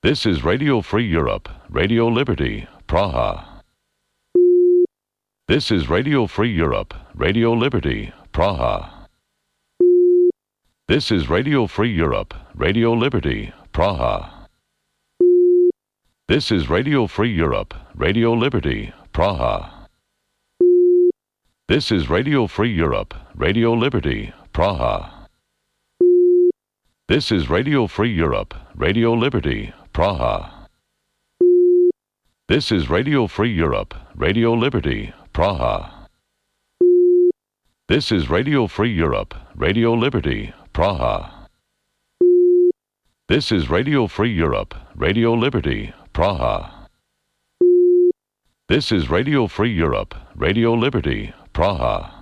This is Radio Free Europe, Radio Liberty, Praha. This is Radio Free Europe, Radio Liberty, Praha. This is Radio Free Europe, Radio Liberty, Praha. This is Radio Free Europe, Radio Liberty, Praha. This is Radio Free Europe, Radio Liberty, Praha. This is Radio Free Europe, Radio Liberty, Praha. This is Radio Free Europe, Radio Liberty, Praha. This is Radio Free Europe, Radio Liberty, Praha. This is Radio Free Europe, Radio Liberty, Praha. This is Radio Free Europe, Radio Liberty, Praha.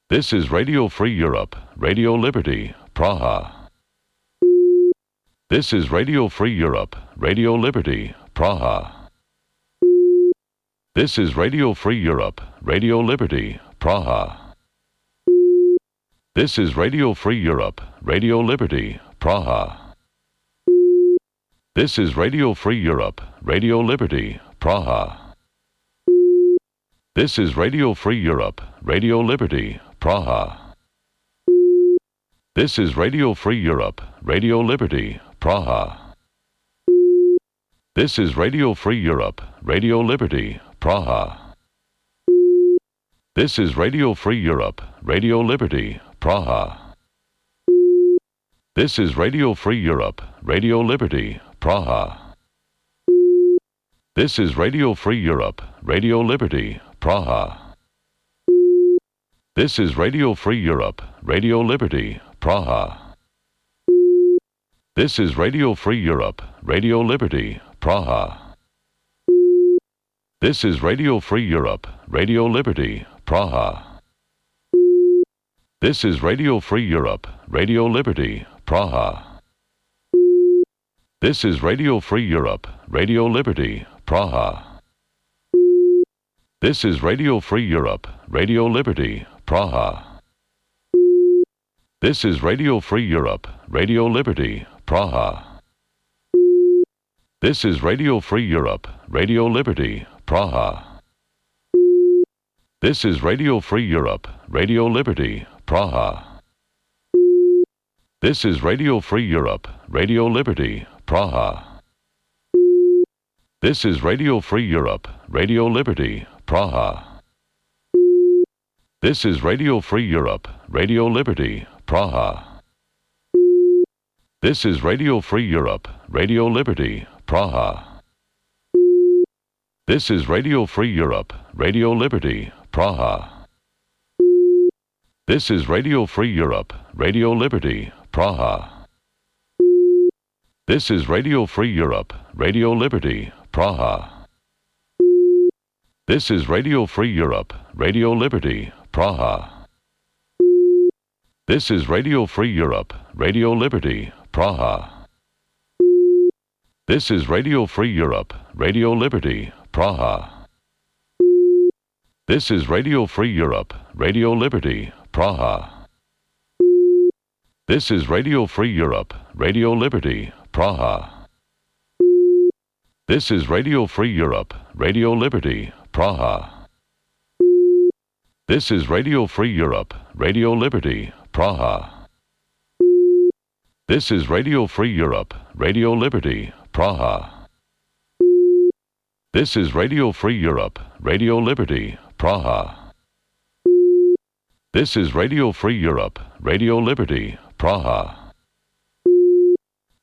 This is Radio Free Europe, Radio Liberty, Praha. This is Radio Free Europe, Radio Liberty, Praha. This is Radio Free Europe, Radio Liberty, Praha. This is Radio Free Europe, Radio Liberty, Praha. This is Radio Free Europe, Radio Liberty, Praha. This is Radio Free Europe, Radio Liberty, Praha. This is Radio Free Europe, Radio Liberty, Praha. This is Radio Free Europe, Radio Liberty, Praha. This is Radio Free Europe, Radio Liberty, Praha. This is Radio Free Europe, Radio Liberty, Praha. This is Radio Free Europe, Radio Liberty, Praha. This is Radio Free Europe, Radio Liberty, Praha. This is Radio Free Europe, Radio Liberty, Praha. This is Radio Free Europe, Radio Liberty, Praha. This is Radio Free Europe, Radio Liberty, Praha. This is Radio Free Europe, Radio Liberty, Praha. This is Radio Free Europe, Radio Liberty, Praha. This is Radio Free Europe, Radio Liberty, Praha. This is Radio Free Europe, Radio Liberty, Praha. This is Radio Free Europe, Radio Liberty, Praha. This is Radio Free Europe, Radio Liberty, Praha. This is Radio Free Europe, Radio Liberty, Praha. This is Radio Free Europe, Radio Liberty, Praha. This is Radio Free Europe, Radio Liberty, Praha. This is Radio Free Europe, Radio Liberty, Praha. This is Radio Free Europe, Radio Liberty, Praha. This is Radio Free Europe, Radio Liberty, Praha. This is Radio Free Europe, Radio Liberty, Praha. This is Radio Free Europe, Radio Liberty, Praha. This is Radio Free Europe, Radio Liberty, Praha. This is Radio Free Europe, Radio Liberty, Praha. This is Radio Free Europe, Radio Liberty, Praha. This is Radio Free Europe, Radio Liberty, Praha. This is Radio Free Europe, Radio Liberty, Praha. This is Radio Free Europe, Radio Liberty, Praha. This is Radio Free Europe, Radio Liberty, Praha. This is Radio Free Europe, Radio Liberty, Praha.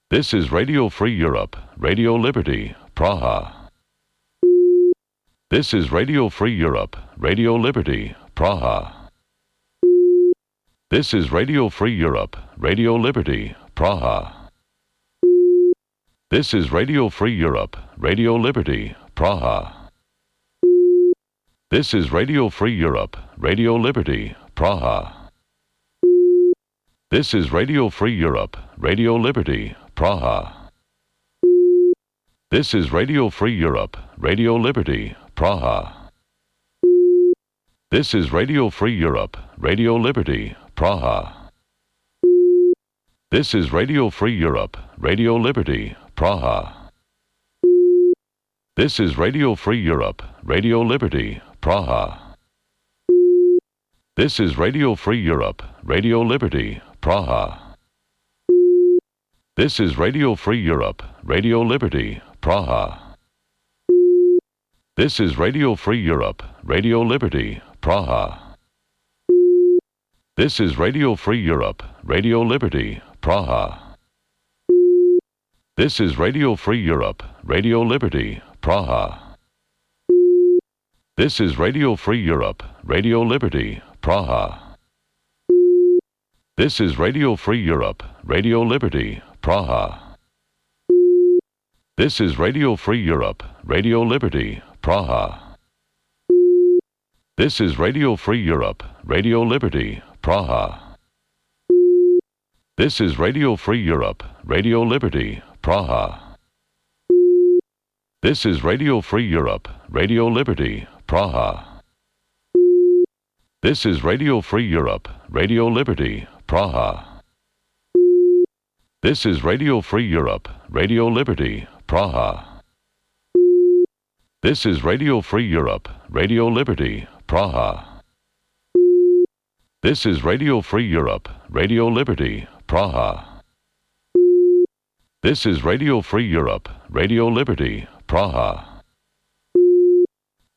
This is Radio Free Europe, Radio Liberty, Praha. This is Radio Free Europe, Radio Liberty, Praha. This is Radio Free Europe, Radio Liberty, Praha. This is Radio Free Europe, Radio Liberty, Praha. This is Radio Free Europe, Radio Liberty, Praha. This is Radio Free Europe, Radio Liberty, Praha. This is Radio Free Europe, Radio Liberty, Praha. This is Radio Free Europe, Radio Liberty, Praha. This is Radio Free Europe, Radio Liberty, Praha. This is Radio Free Europe, Radio Liberty, Praha. This is Radio Free Europe, Radio Liberty, Praha. This is Radio Free Europe, Radio Liberty, Praha. This is Radio Free Europe, Radio Liberty, Praha. This is Radio Free Europe, Radio Liberty, Praha. This is Radio Free Europe, Radio Liberty, Praha. This is Radio Free Europe, Radio Liberty, Praha. This is Radio Free Europe, Radio Liberty, Praha. This is Radio Free Europe, Radio Liberty, Praha. This is Radio Free Europe, Radio Liberty, Praha. This is Radio Free Europe, Radio Liberty, Praha. This is Radio Free Europe, Radio Liberty, Praha. This is Radio Free Europe, Radio Liberty, Praha. This is Radio Free Europe, Radio Liberty, Praha. This is Radio Free Europe, Radio Liberty, Praha. This is Radio Free Europe, Radio Liberty, Praha. This is Radio Free Europe, Radio Liberty, Praha.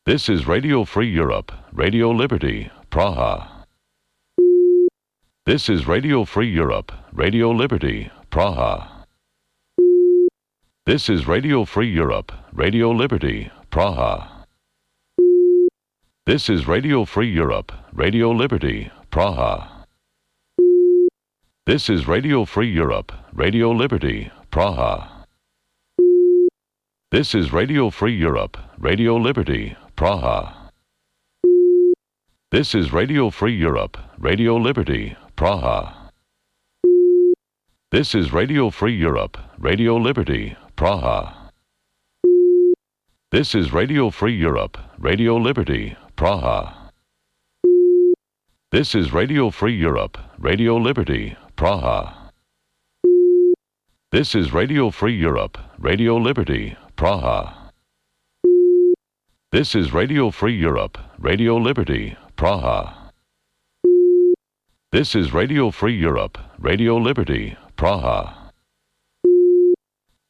This is Radio Free Europe, Radio Liberty, Praha. This is Radio Free Europe, Radio Liberty, Praha. This is Radio Free Europe, Radio Liberty, Praha. This is Radio Free Europe, Radio Liberty, Praha. This is Radio Free Europe, Radio Liberty, Praha. This is Radio Free Europe, Radio Liberty, Praha. This is Radio Free Europe, Radio Liberty, Praha. This is Radio Free Europe, Radio Liberty, Praha. This is Radio Free Europe, Radio Liberty, Praha. This is Radio Free Europe, Radio Liberty, Praha. This is Radio Free Europe, Radio Liberty, Praha. This is Radio Free Europe, Radio Liberty, Praha. This is Radio Free Europe, Radio Liberty, Praha.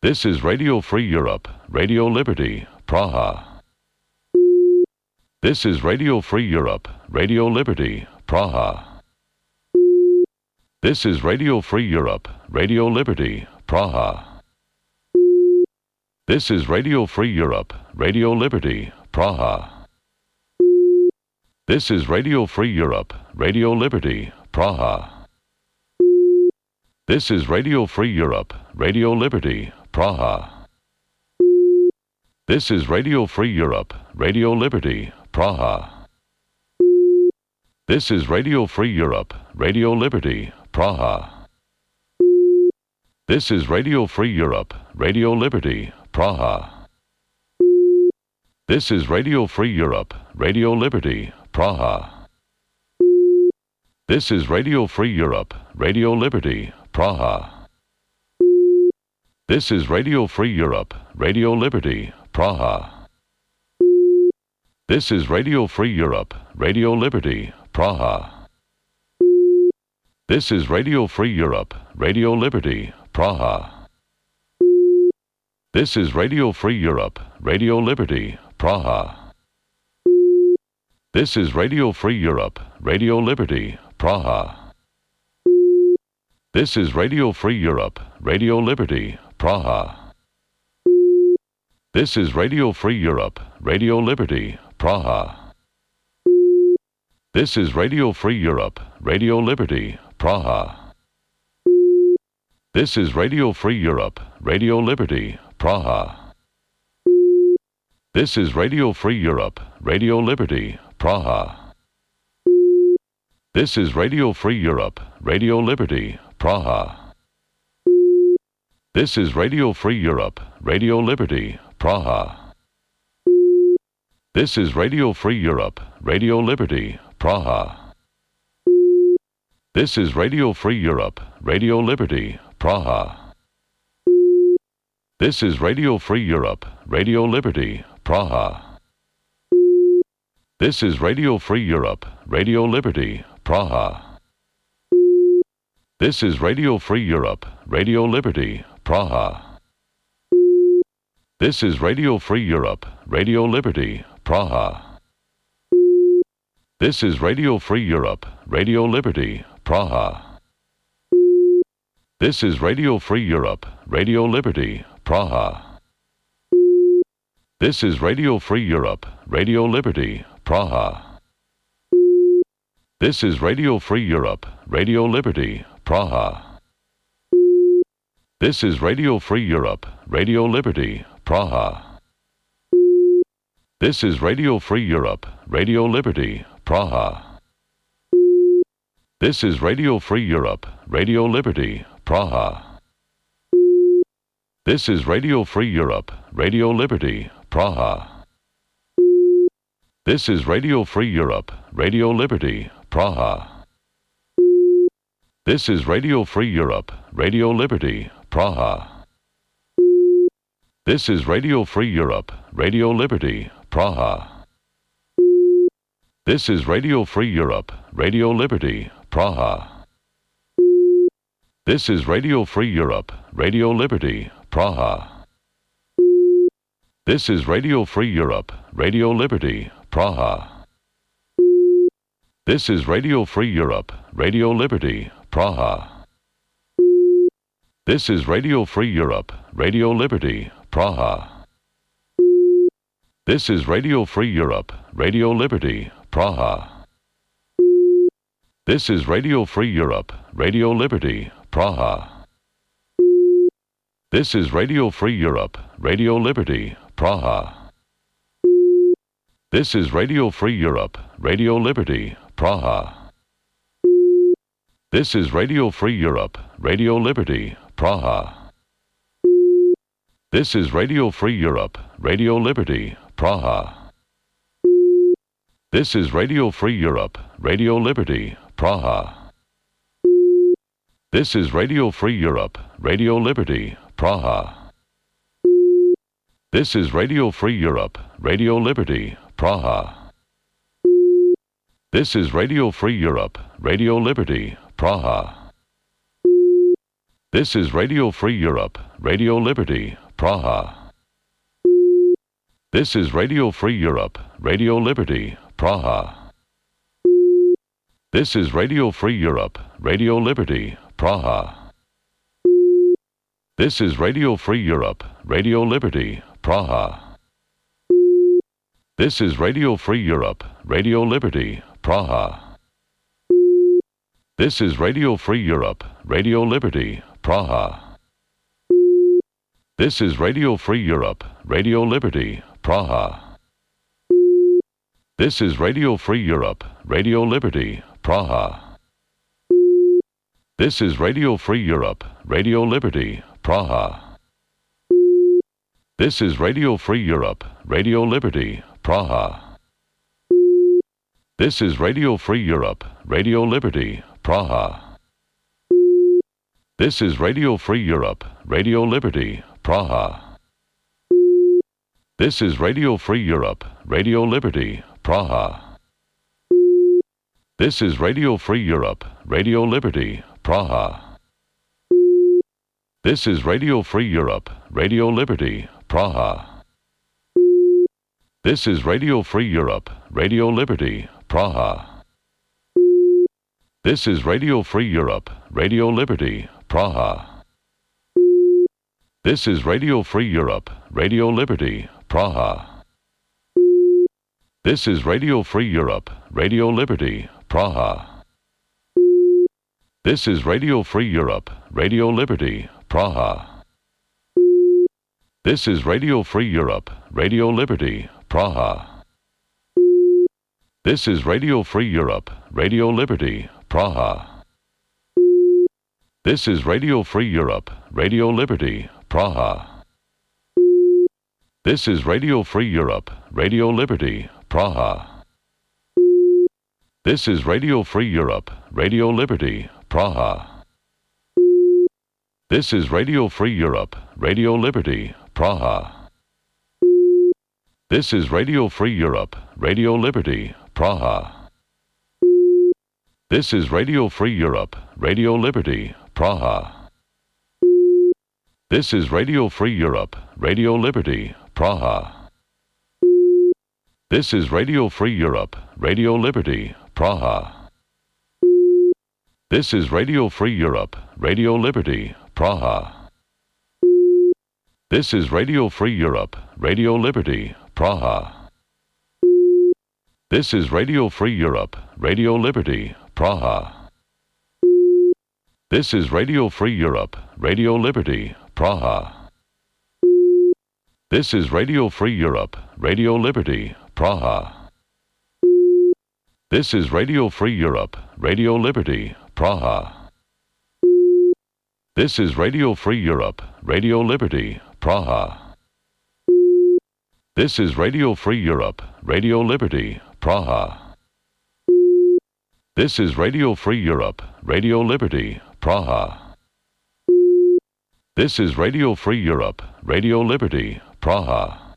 This is Radio Free Europe, Radio Liberty, Praha. This is Radio Free Europe, Radio Liberty, Praha. This is Radio Free Europe, Radio Liberty, Praha. This is Radio Free Europe, Radio Liberty, Praha. This is Radio Free Europe, Radio Liberty, Praha. This is Radio Free Europe, Radio Liberty, Praha. This is Radio Free Europe, Radio Liberty, Praha. This is Radio Free Europe, Radio Liberty, Praha. This is Radio Free Europe, Radio Liberty, Praha. This is Radio Free Europe, Radio Liberty, Praha. This is Radio Free Europe, Radio Liberty, Praha. This is Radio Free Europe, Radio Liberty, Praha. This is Radio Free Europe, Radio Liberty, Praha. This is Radio Free Europe, Radio Liberty, Praha. This is Radio Free Europe, Radio Liberty, Praha. This is Radio Free Europe, Radio Liberty, Praha. This is Radio Free Europe, Radio Liberty, Praha. This is Radio Free Europe, Radio Liberty, Praha. This is Radio Free Europe, Radio Liberty, Praha. This is Radio Free Europe, Radio Liberty, Praha. This is Radio Free Europe, Radio Liberty, Praha. This is Radio Free Europe, Radio Liberty, Praha. This is Radio Free Europe, Radio Liberty, Praha. This is Radio Free Europe, Radio Liberty, Praha. This is Radio Free Europe, Radio Liberty, Praha. This is Radio Free Europe, Radio Liberty, Praha. This is Radio Free Europe, Radio Liberty, Praha. This is Radio Free Europe, Radio Liberty, Praha. This is Radio Free Europe, Radio Liberty, Praha. This is Radio Free Europe, Radio Liberty, Praha. This is Radio Free Europe, Radio Liberty, Praha. This is Radio Free Europe, Radio Liberty, Praha. This is Radio Free Europe, Radio Liberty, Praha. This is Radio Free Europe, Radio Liberty, Praha. This is Radio Free Europe, Radio Liberty, Praha. This is Radio Free Europe, Radio Liberty, Praha. This is Radio Free Europe, Radio Liberty, Praha. This is Radio Free Europe, Radio Liberty, Praha. This is Radio Free Europe, Radio Liberty, Praha. This is Radio Free Europe, Radio Liberty, Praha. This is Radio Free Europe, Radio Liberty, Praha. This is Radio Free Europe, Radio Liberty, Praha. This is Radio Free Europe, Radio Liberty, Praha. This is Radio Free Europe, Radio Liberty, Praha. This is Radio Free Europe, Radio Liberty, Praha. This is Radio Free Europe, Radio Liberty, Praha. This is Radio Free Europe, Radio Liberty, Praha. This is Radio Free Europe, Radio Liberty, Praha. This is Radio Free Europe, Radio Liberty, Praha. This is Radio Free Europe, Radio Liberty, Praha. This is Radio Free Europe, Radio Liberty, Praha. This is Radio Free Europe, Radio Liberty, Praha. This is Radio Free Europe, Radio Liberty, Praha. This is Radio Free Europe, Radio Liberty, Praha. This is Radio Free Europe, Radio Liberty, Praha. This is Radio Free Europe, Radio Liberty, Praha. This is Radio Free Europe, Radio Liberty, Praha. This is Radio Free Europe, Radio Liberty, Praha. This is Radio Free Europe, Radio Liberty, Praha. This is Radio Free Europe, Radio Liberty, Praha. This is Radio Free Europe, Radio Liberty, Praha. This is Radio Free Europe, Radio Liberty, Praha. This is Radio Free Europe, Radio Liberty, Praha. This is Radio Free Europe, Radio Liberty, Praha. This is Radio Free Europe, Radio Liberty, Praha. This is Radio Free Europe, Radio Liberty, Praha. This is Radio Free Europe, Radio Liberty, Praha. This is Radio Free Europe, Radio Liberty, Praha. This is Radio Free Europe, Radio Liberty, Praha. This is Radio Free Europe, Radio Liberty, Praha. This is Radio Free Europe, Radio Liberty, Praha. This is Radio Free Europe, Radio Liberty, Praha. This is Radio Free Europe, Radio Liberty, Praha. This is Radio Free Europe, Radio Liberty, Praha. This is Radio Free Europe, Radio Liberty, Praha. This is Radio Free Europe, Radio Liberty, Praha. This is Radio Free Europe, Radio Liberty, Praha. This is Radio Free Europe, Radio Liberty, Praha. This is Radio Free Europe, Radio Liberty, Praha. This is Radio Free Europe, Radio Liberty, Praha. This is Radio Free Europe, Radio Liberty, Praha. This is Radio Free Europe, Radio Liberty, Praha. This is Radio Free Europe, Radio Liberty, Praha. This is Radio Free Europe, Radio Liberty, Praha. This is Radio Free Europe, Radio Liberty, Praha. This is Radio Free Europe, Radio Liberty, Praha. This is Radio Free Europe, Radio Liberty, Praha. This is Radio Free Europe, Radio Liberty, Praha. This is Radio Free Europe, Radio Liberty, Praha. This is Radio Free Europe, Radio Liberty, Praha. This is Radio Free Europe, Radio Liberty, Praha. This is Radio Free Europe, Radio Liberty, Praha. This is Radio Free Europe, Radio Liberty, Praha. This is Radio Free Europe, Radio Liberty, Praha. This is Radio Free Europe, Radio Liberty, Praha.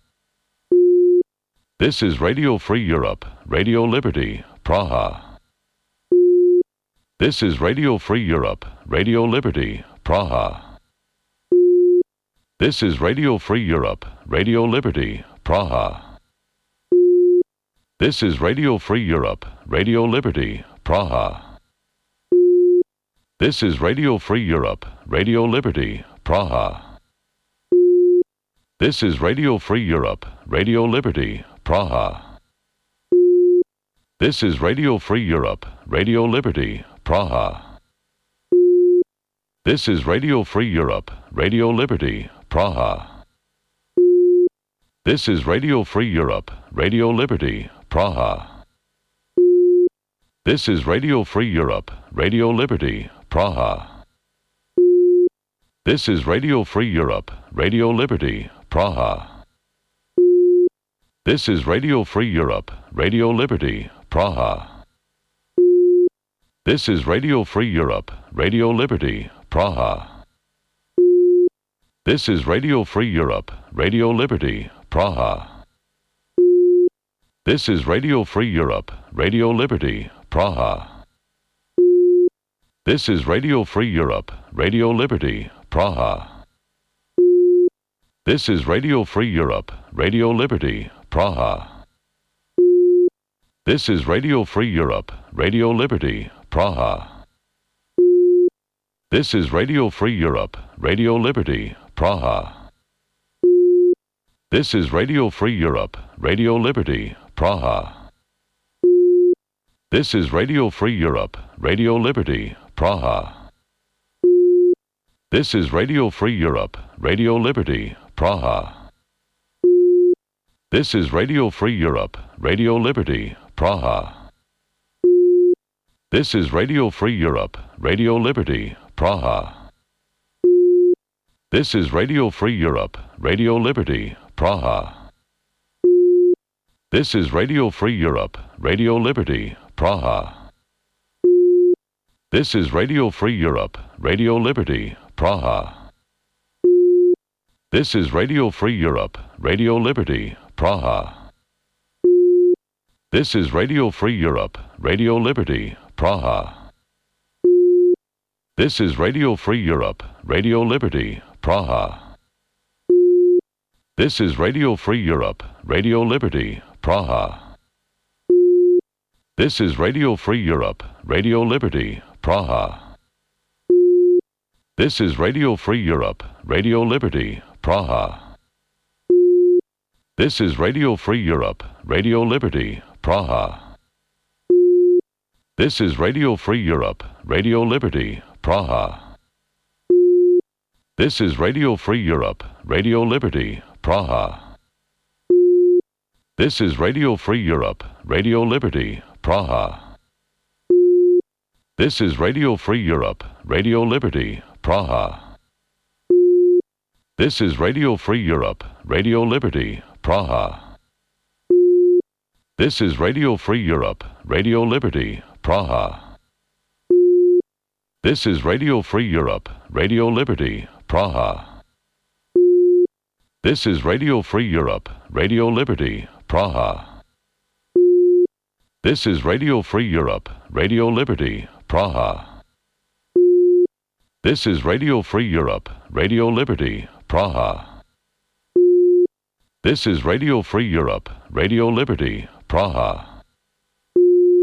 This is Radio Free Europe, Radio Liberty, Praha. This is Radio Free Europe, Radio Liberty, Praha. This is Radio Free Europe, Radio Liberty, Praha. This is Radio Free Europe, Radio Liberty, Praha. This is Radio Free Europe, Radio Liberty, Praha. This is Radio Free Europe, Radio Liberty, Praha. This is Radio Free Europe, Radio Liberty, Praha. This is Radio Free Europe, Radio Liberty, Praha. This is Radio Free Europe, Radio Liberty, Praha. This is Radio Free Europe, Radio Liberty, Praha. This is Radio Free Europe, Radio Liberty, Praha. This is Radio Free Europe, Radio Liberty, Praha. This is Radio Free Europe, Radio Liberty, Praha. This is Radio Free Europe, Radio Liberty, Praha. This is Radio Free Europe, Radio Liberty, Praha. This is Radio Free Europe, Radio Liberty, Praha. This is Radio Free Europe, Radio Liberty, Praha. This is Radio Free Europe, Radio Liberty, Praha. This is Radio Free Europe, Radio Liberty, Praha. This is Radio Free Europe, Radio Liberty, Praha. This is Radio Free Europe, Radio Liberty, Praha. This is Radio Free Europe, Radio Liberty, Praha. This is Radio Free Europe, Radio Liberty, Praha. This is Radio Free Europe, Radio Liberty, Praha. This is Radio Free Europe, Radio Liberty, Praha. This is Radio Free Europe, Radio Liberty, Praha. This is Radio Free Europe, Radio Liberty, Praha. This is Radio Free Europe, Radio Liberty, Praha. This is Radio Free Europe, Radio Liberty, Praha. This is Radio Free Europe, Radio Liberty, Praha. This is Radio Free Europe, Radio Liberty, Praha. This is Radio Free Europe, Radio Liberty, Praha. This is Radio Free Europe, Radio Liberty, Praha. This is Radio Free Europe, Radio Liberty, Praha. This is Radio Free Europe, Radio Liberty, Praha. This is Radio Free Europe, Radio Liberty, Praha. This is Radio Free Europe, Radio Liberty, Praha. This is Radio Free Europe, Radio Liberty, Praha. This is Radio Free Europe, Radio Liberty, Praha. This is Radio Free Europe, Radio Liberty, Praha. This is Radio Free Europe, Radio Liberty, Praha. This is Radio Free Europe, Radio Liberty, Praha. This is Radio Free Europe, Radio Liberty, Praha. This is Radio Free Europe, Radio Liberty, Praha. This is Radio Free Europe, Radio Liberty, Praha.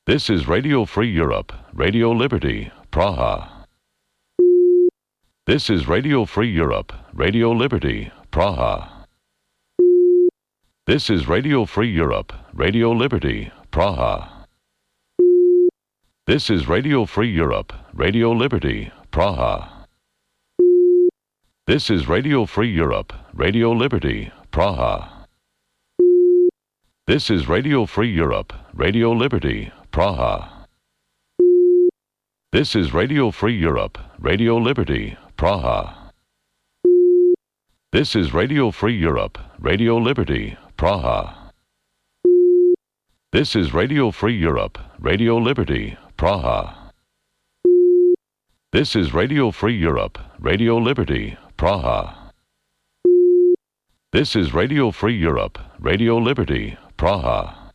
This is Radio Free Europe, Radio Liberty, Praha. This is Radio Free Europe, Radio Liberty, Praha. This is Radio Free Europe, Radio Liberty, Praha. This is Radio Free Europe, Radio Liberty, Praha. This is Radio Free Europe, Radio Liberty, Praha. This is Radio Free Europe, Radio Liberty, Praha. This is Radio Free Europe, Radio Liberty, Praha. This is Radio Free Europe, Radio Liberty, Praha. This is Radio Free Europe, Radio Liberty, Praha. This is Radio Free Europe, Radio Liberty, Praha. This is Radio Free Europe, Radio Liberty, Praha.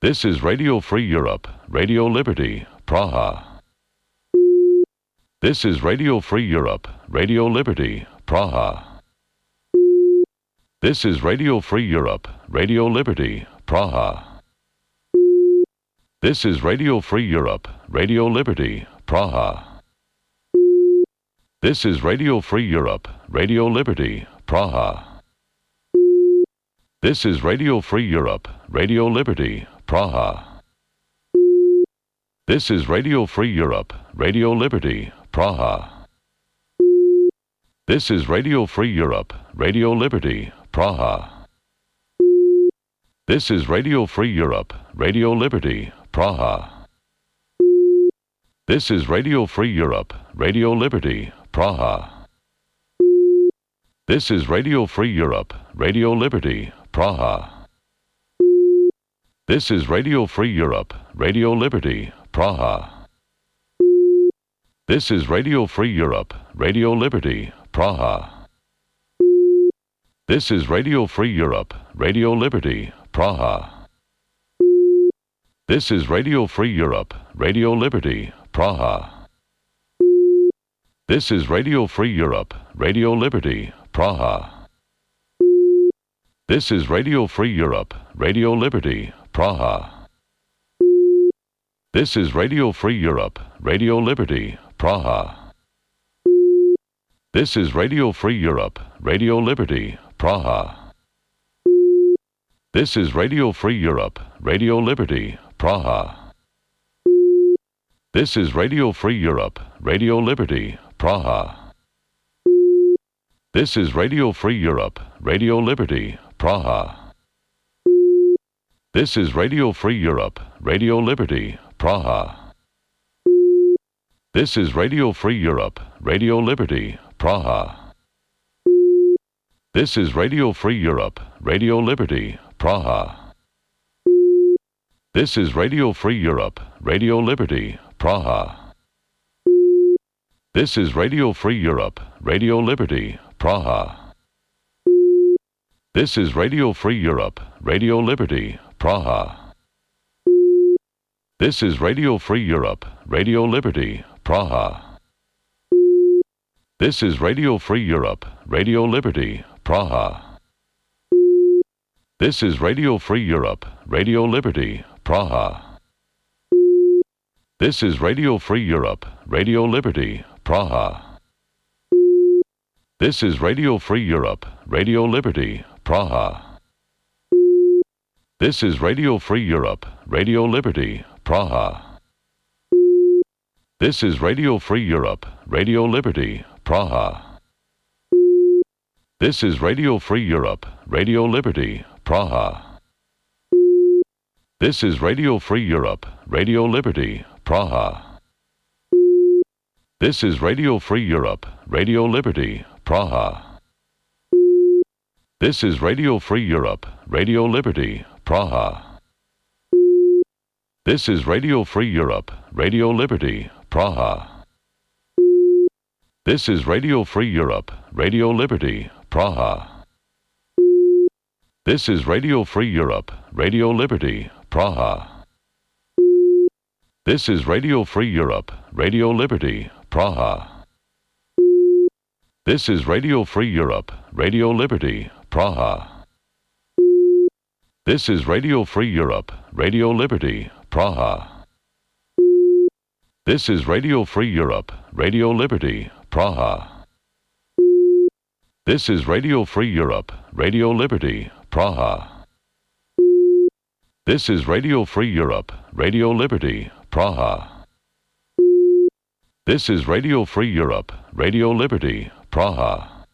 This is Radio Free Europe, Radio Liberty, Praha. This is Radio Free Europe, Radio Liberty, Praha. This is Radio Free Europe, Radio Liberty, Praha. This is Radio Free Europe, Radio Liberty, Praha. This is Radio Free Europe, Radio Liberty, Praha. This is Radio Free Europe, Radio Liberty, Praha. This is Radio Free Europe, Radio Liberty, Praha. This is Radio Free Europe, Radio Liberty, Praha. This is Radio Free Europe, Radio Liberty, Praha. This is Radio Free Europe, Radio Liberty, Praha. This is Radio Free Europe, Radio Liberty, Praha. This is Radio Free Europe, Radio Liberty, Praha. This is Radio Free Europe, Radio Liberty, Praha. This is Radio Free Europe, Radio Liberty, Praha. This is Radio Free Europe, Radio Liberty, Praha. This is Radio Free Europe, Radio Liberty, Praha. This is Radio Free Europe, Radio Liberty, Praha. This is Radio Free Europe, Radio Liberty, Praha. This is Radio Free Europe, Radio Liberty, Praha. This is Radio Free Europe, Radio Liberty, Praha. This is Radio Free Europe, Radio Liberty, Praha. This is Radio Free Europe, Radio Liberty, Praha. This is Radio Free Europe, Radio Liberty, Praha. This is Radio Free Europe, Radio Liberty, Praha. This is Radio Free Europe, Radio Liberty, Praha. This is Radio Free Europe, Radio Liberty, Praha. This is Radio Free Europe, Radio Liberty, Praha. This is Radio Free Europe, Radio Liberty, Praha. This is Radio Free Europe, Radio Liberty, Praha. This is Radio Free Europe, Radio Liberty, Praha. This is Radio Free Europe, Radio Liberty, Praha. This is Radio Free Europe, Radio Liberty, Praha. This is Radio Free Europe, Radio Liberty, Praha. This is Radio Free Europe, Radio Liberty, Praha. This is Radio Free Europe, Radio Liberty, Praha. This is Radio Free Europe, Radio Liberty, Praha. This is Radio Free Europe, Radio Liberty, Praha. This is Radio Free Europe, Radio Liberty, Praha. This is Radio Free Europe, Radio Liberty, Praha. This is Radio Free Europe, Radio Liberty, Praha. This is Radio Free Europe, Radio Liberty, Praha. This is Radio Free Europe, Radio Liberty, Praha. This is Radio Free Europe, Radio Liberty, Praha. This is Radio Free Europe, Radio Liberty, Praha. This is Radio Free Europe, Radio Liberty, Praha. This is Radio Free Europe, Radio Liberty, Praha. This is Radio Free Europe, Radio Liberty, Praha. This is Radio Free Europe, Radio Liberty, Praha. This is Radio Free Europe, Radio Liberty, Praha.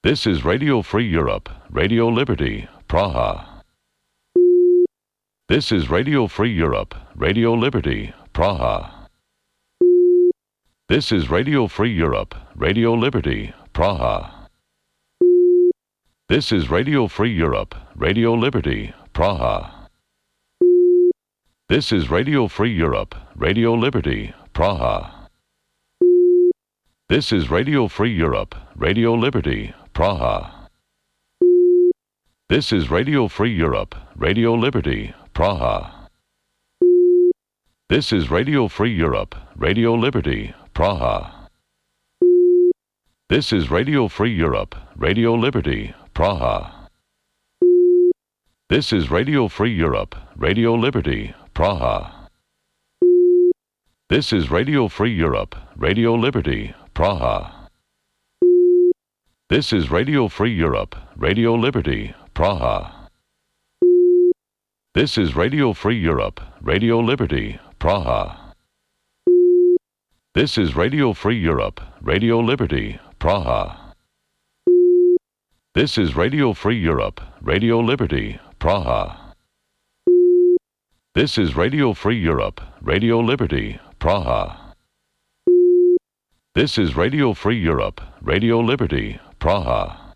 This is Radio Free Europe, Radio Liberty, Praha. This is Radio Free Europe, Radio Liberty, Praha. This is Radio Free Europe, Radio Liberty, Praha. This is Radio Free Europe, Radio Liberty, Praha. This is Radio Free Europe, Radio Liberty, Praha. This is Radio Free Europe, Radio Liberty, Praha. This is Radio Free Europe, Radio Liberty, Praha. This is Radio Free Europe, Radio Liberty, Praha. This is Radio Free Europe, Radio Liberty, Praha. This is Radio Free Europe, Radio Liberty, Praha. This is Radio Free Europe, Radio Liberty, Praha. This is Radio Free Europe, Radio Liberty, Praha. This is Radio Free Europe, Radio Liberty, Praha. This is Radio Free Europe, Radio Liberty, Praha. This is Radio Free Europe, Radio Liberty, Praha. This is Radio Free Europe, Radio Liberty, Praha. This is Radio Free Europe, Radio Liberty, Praha.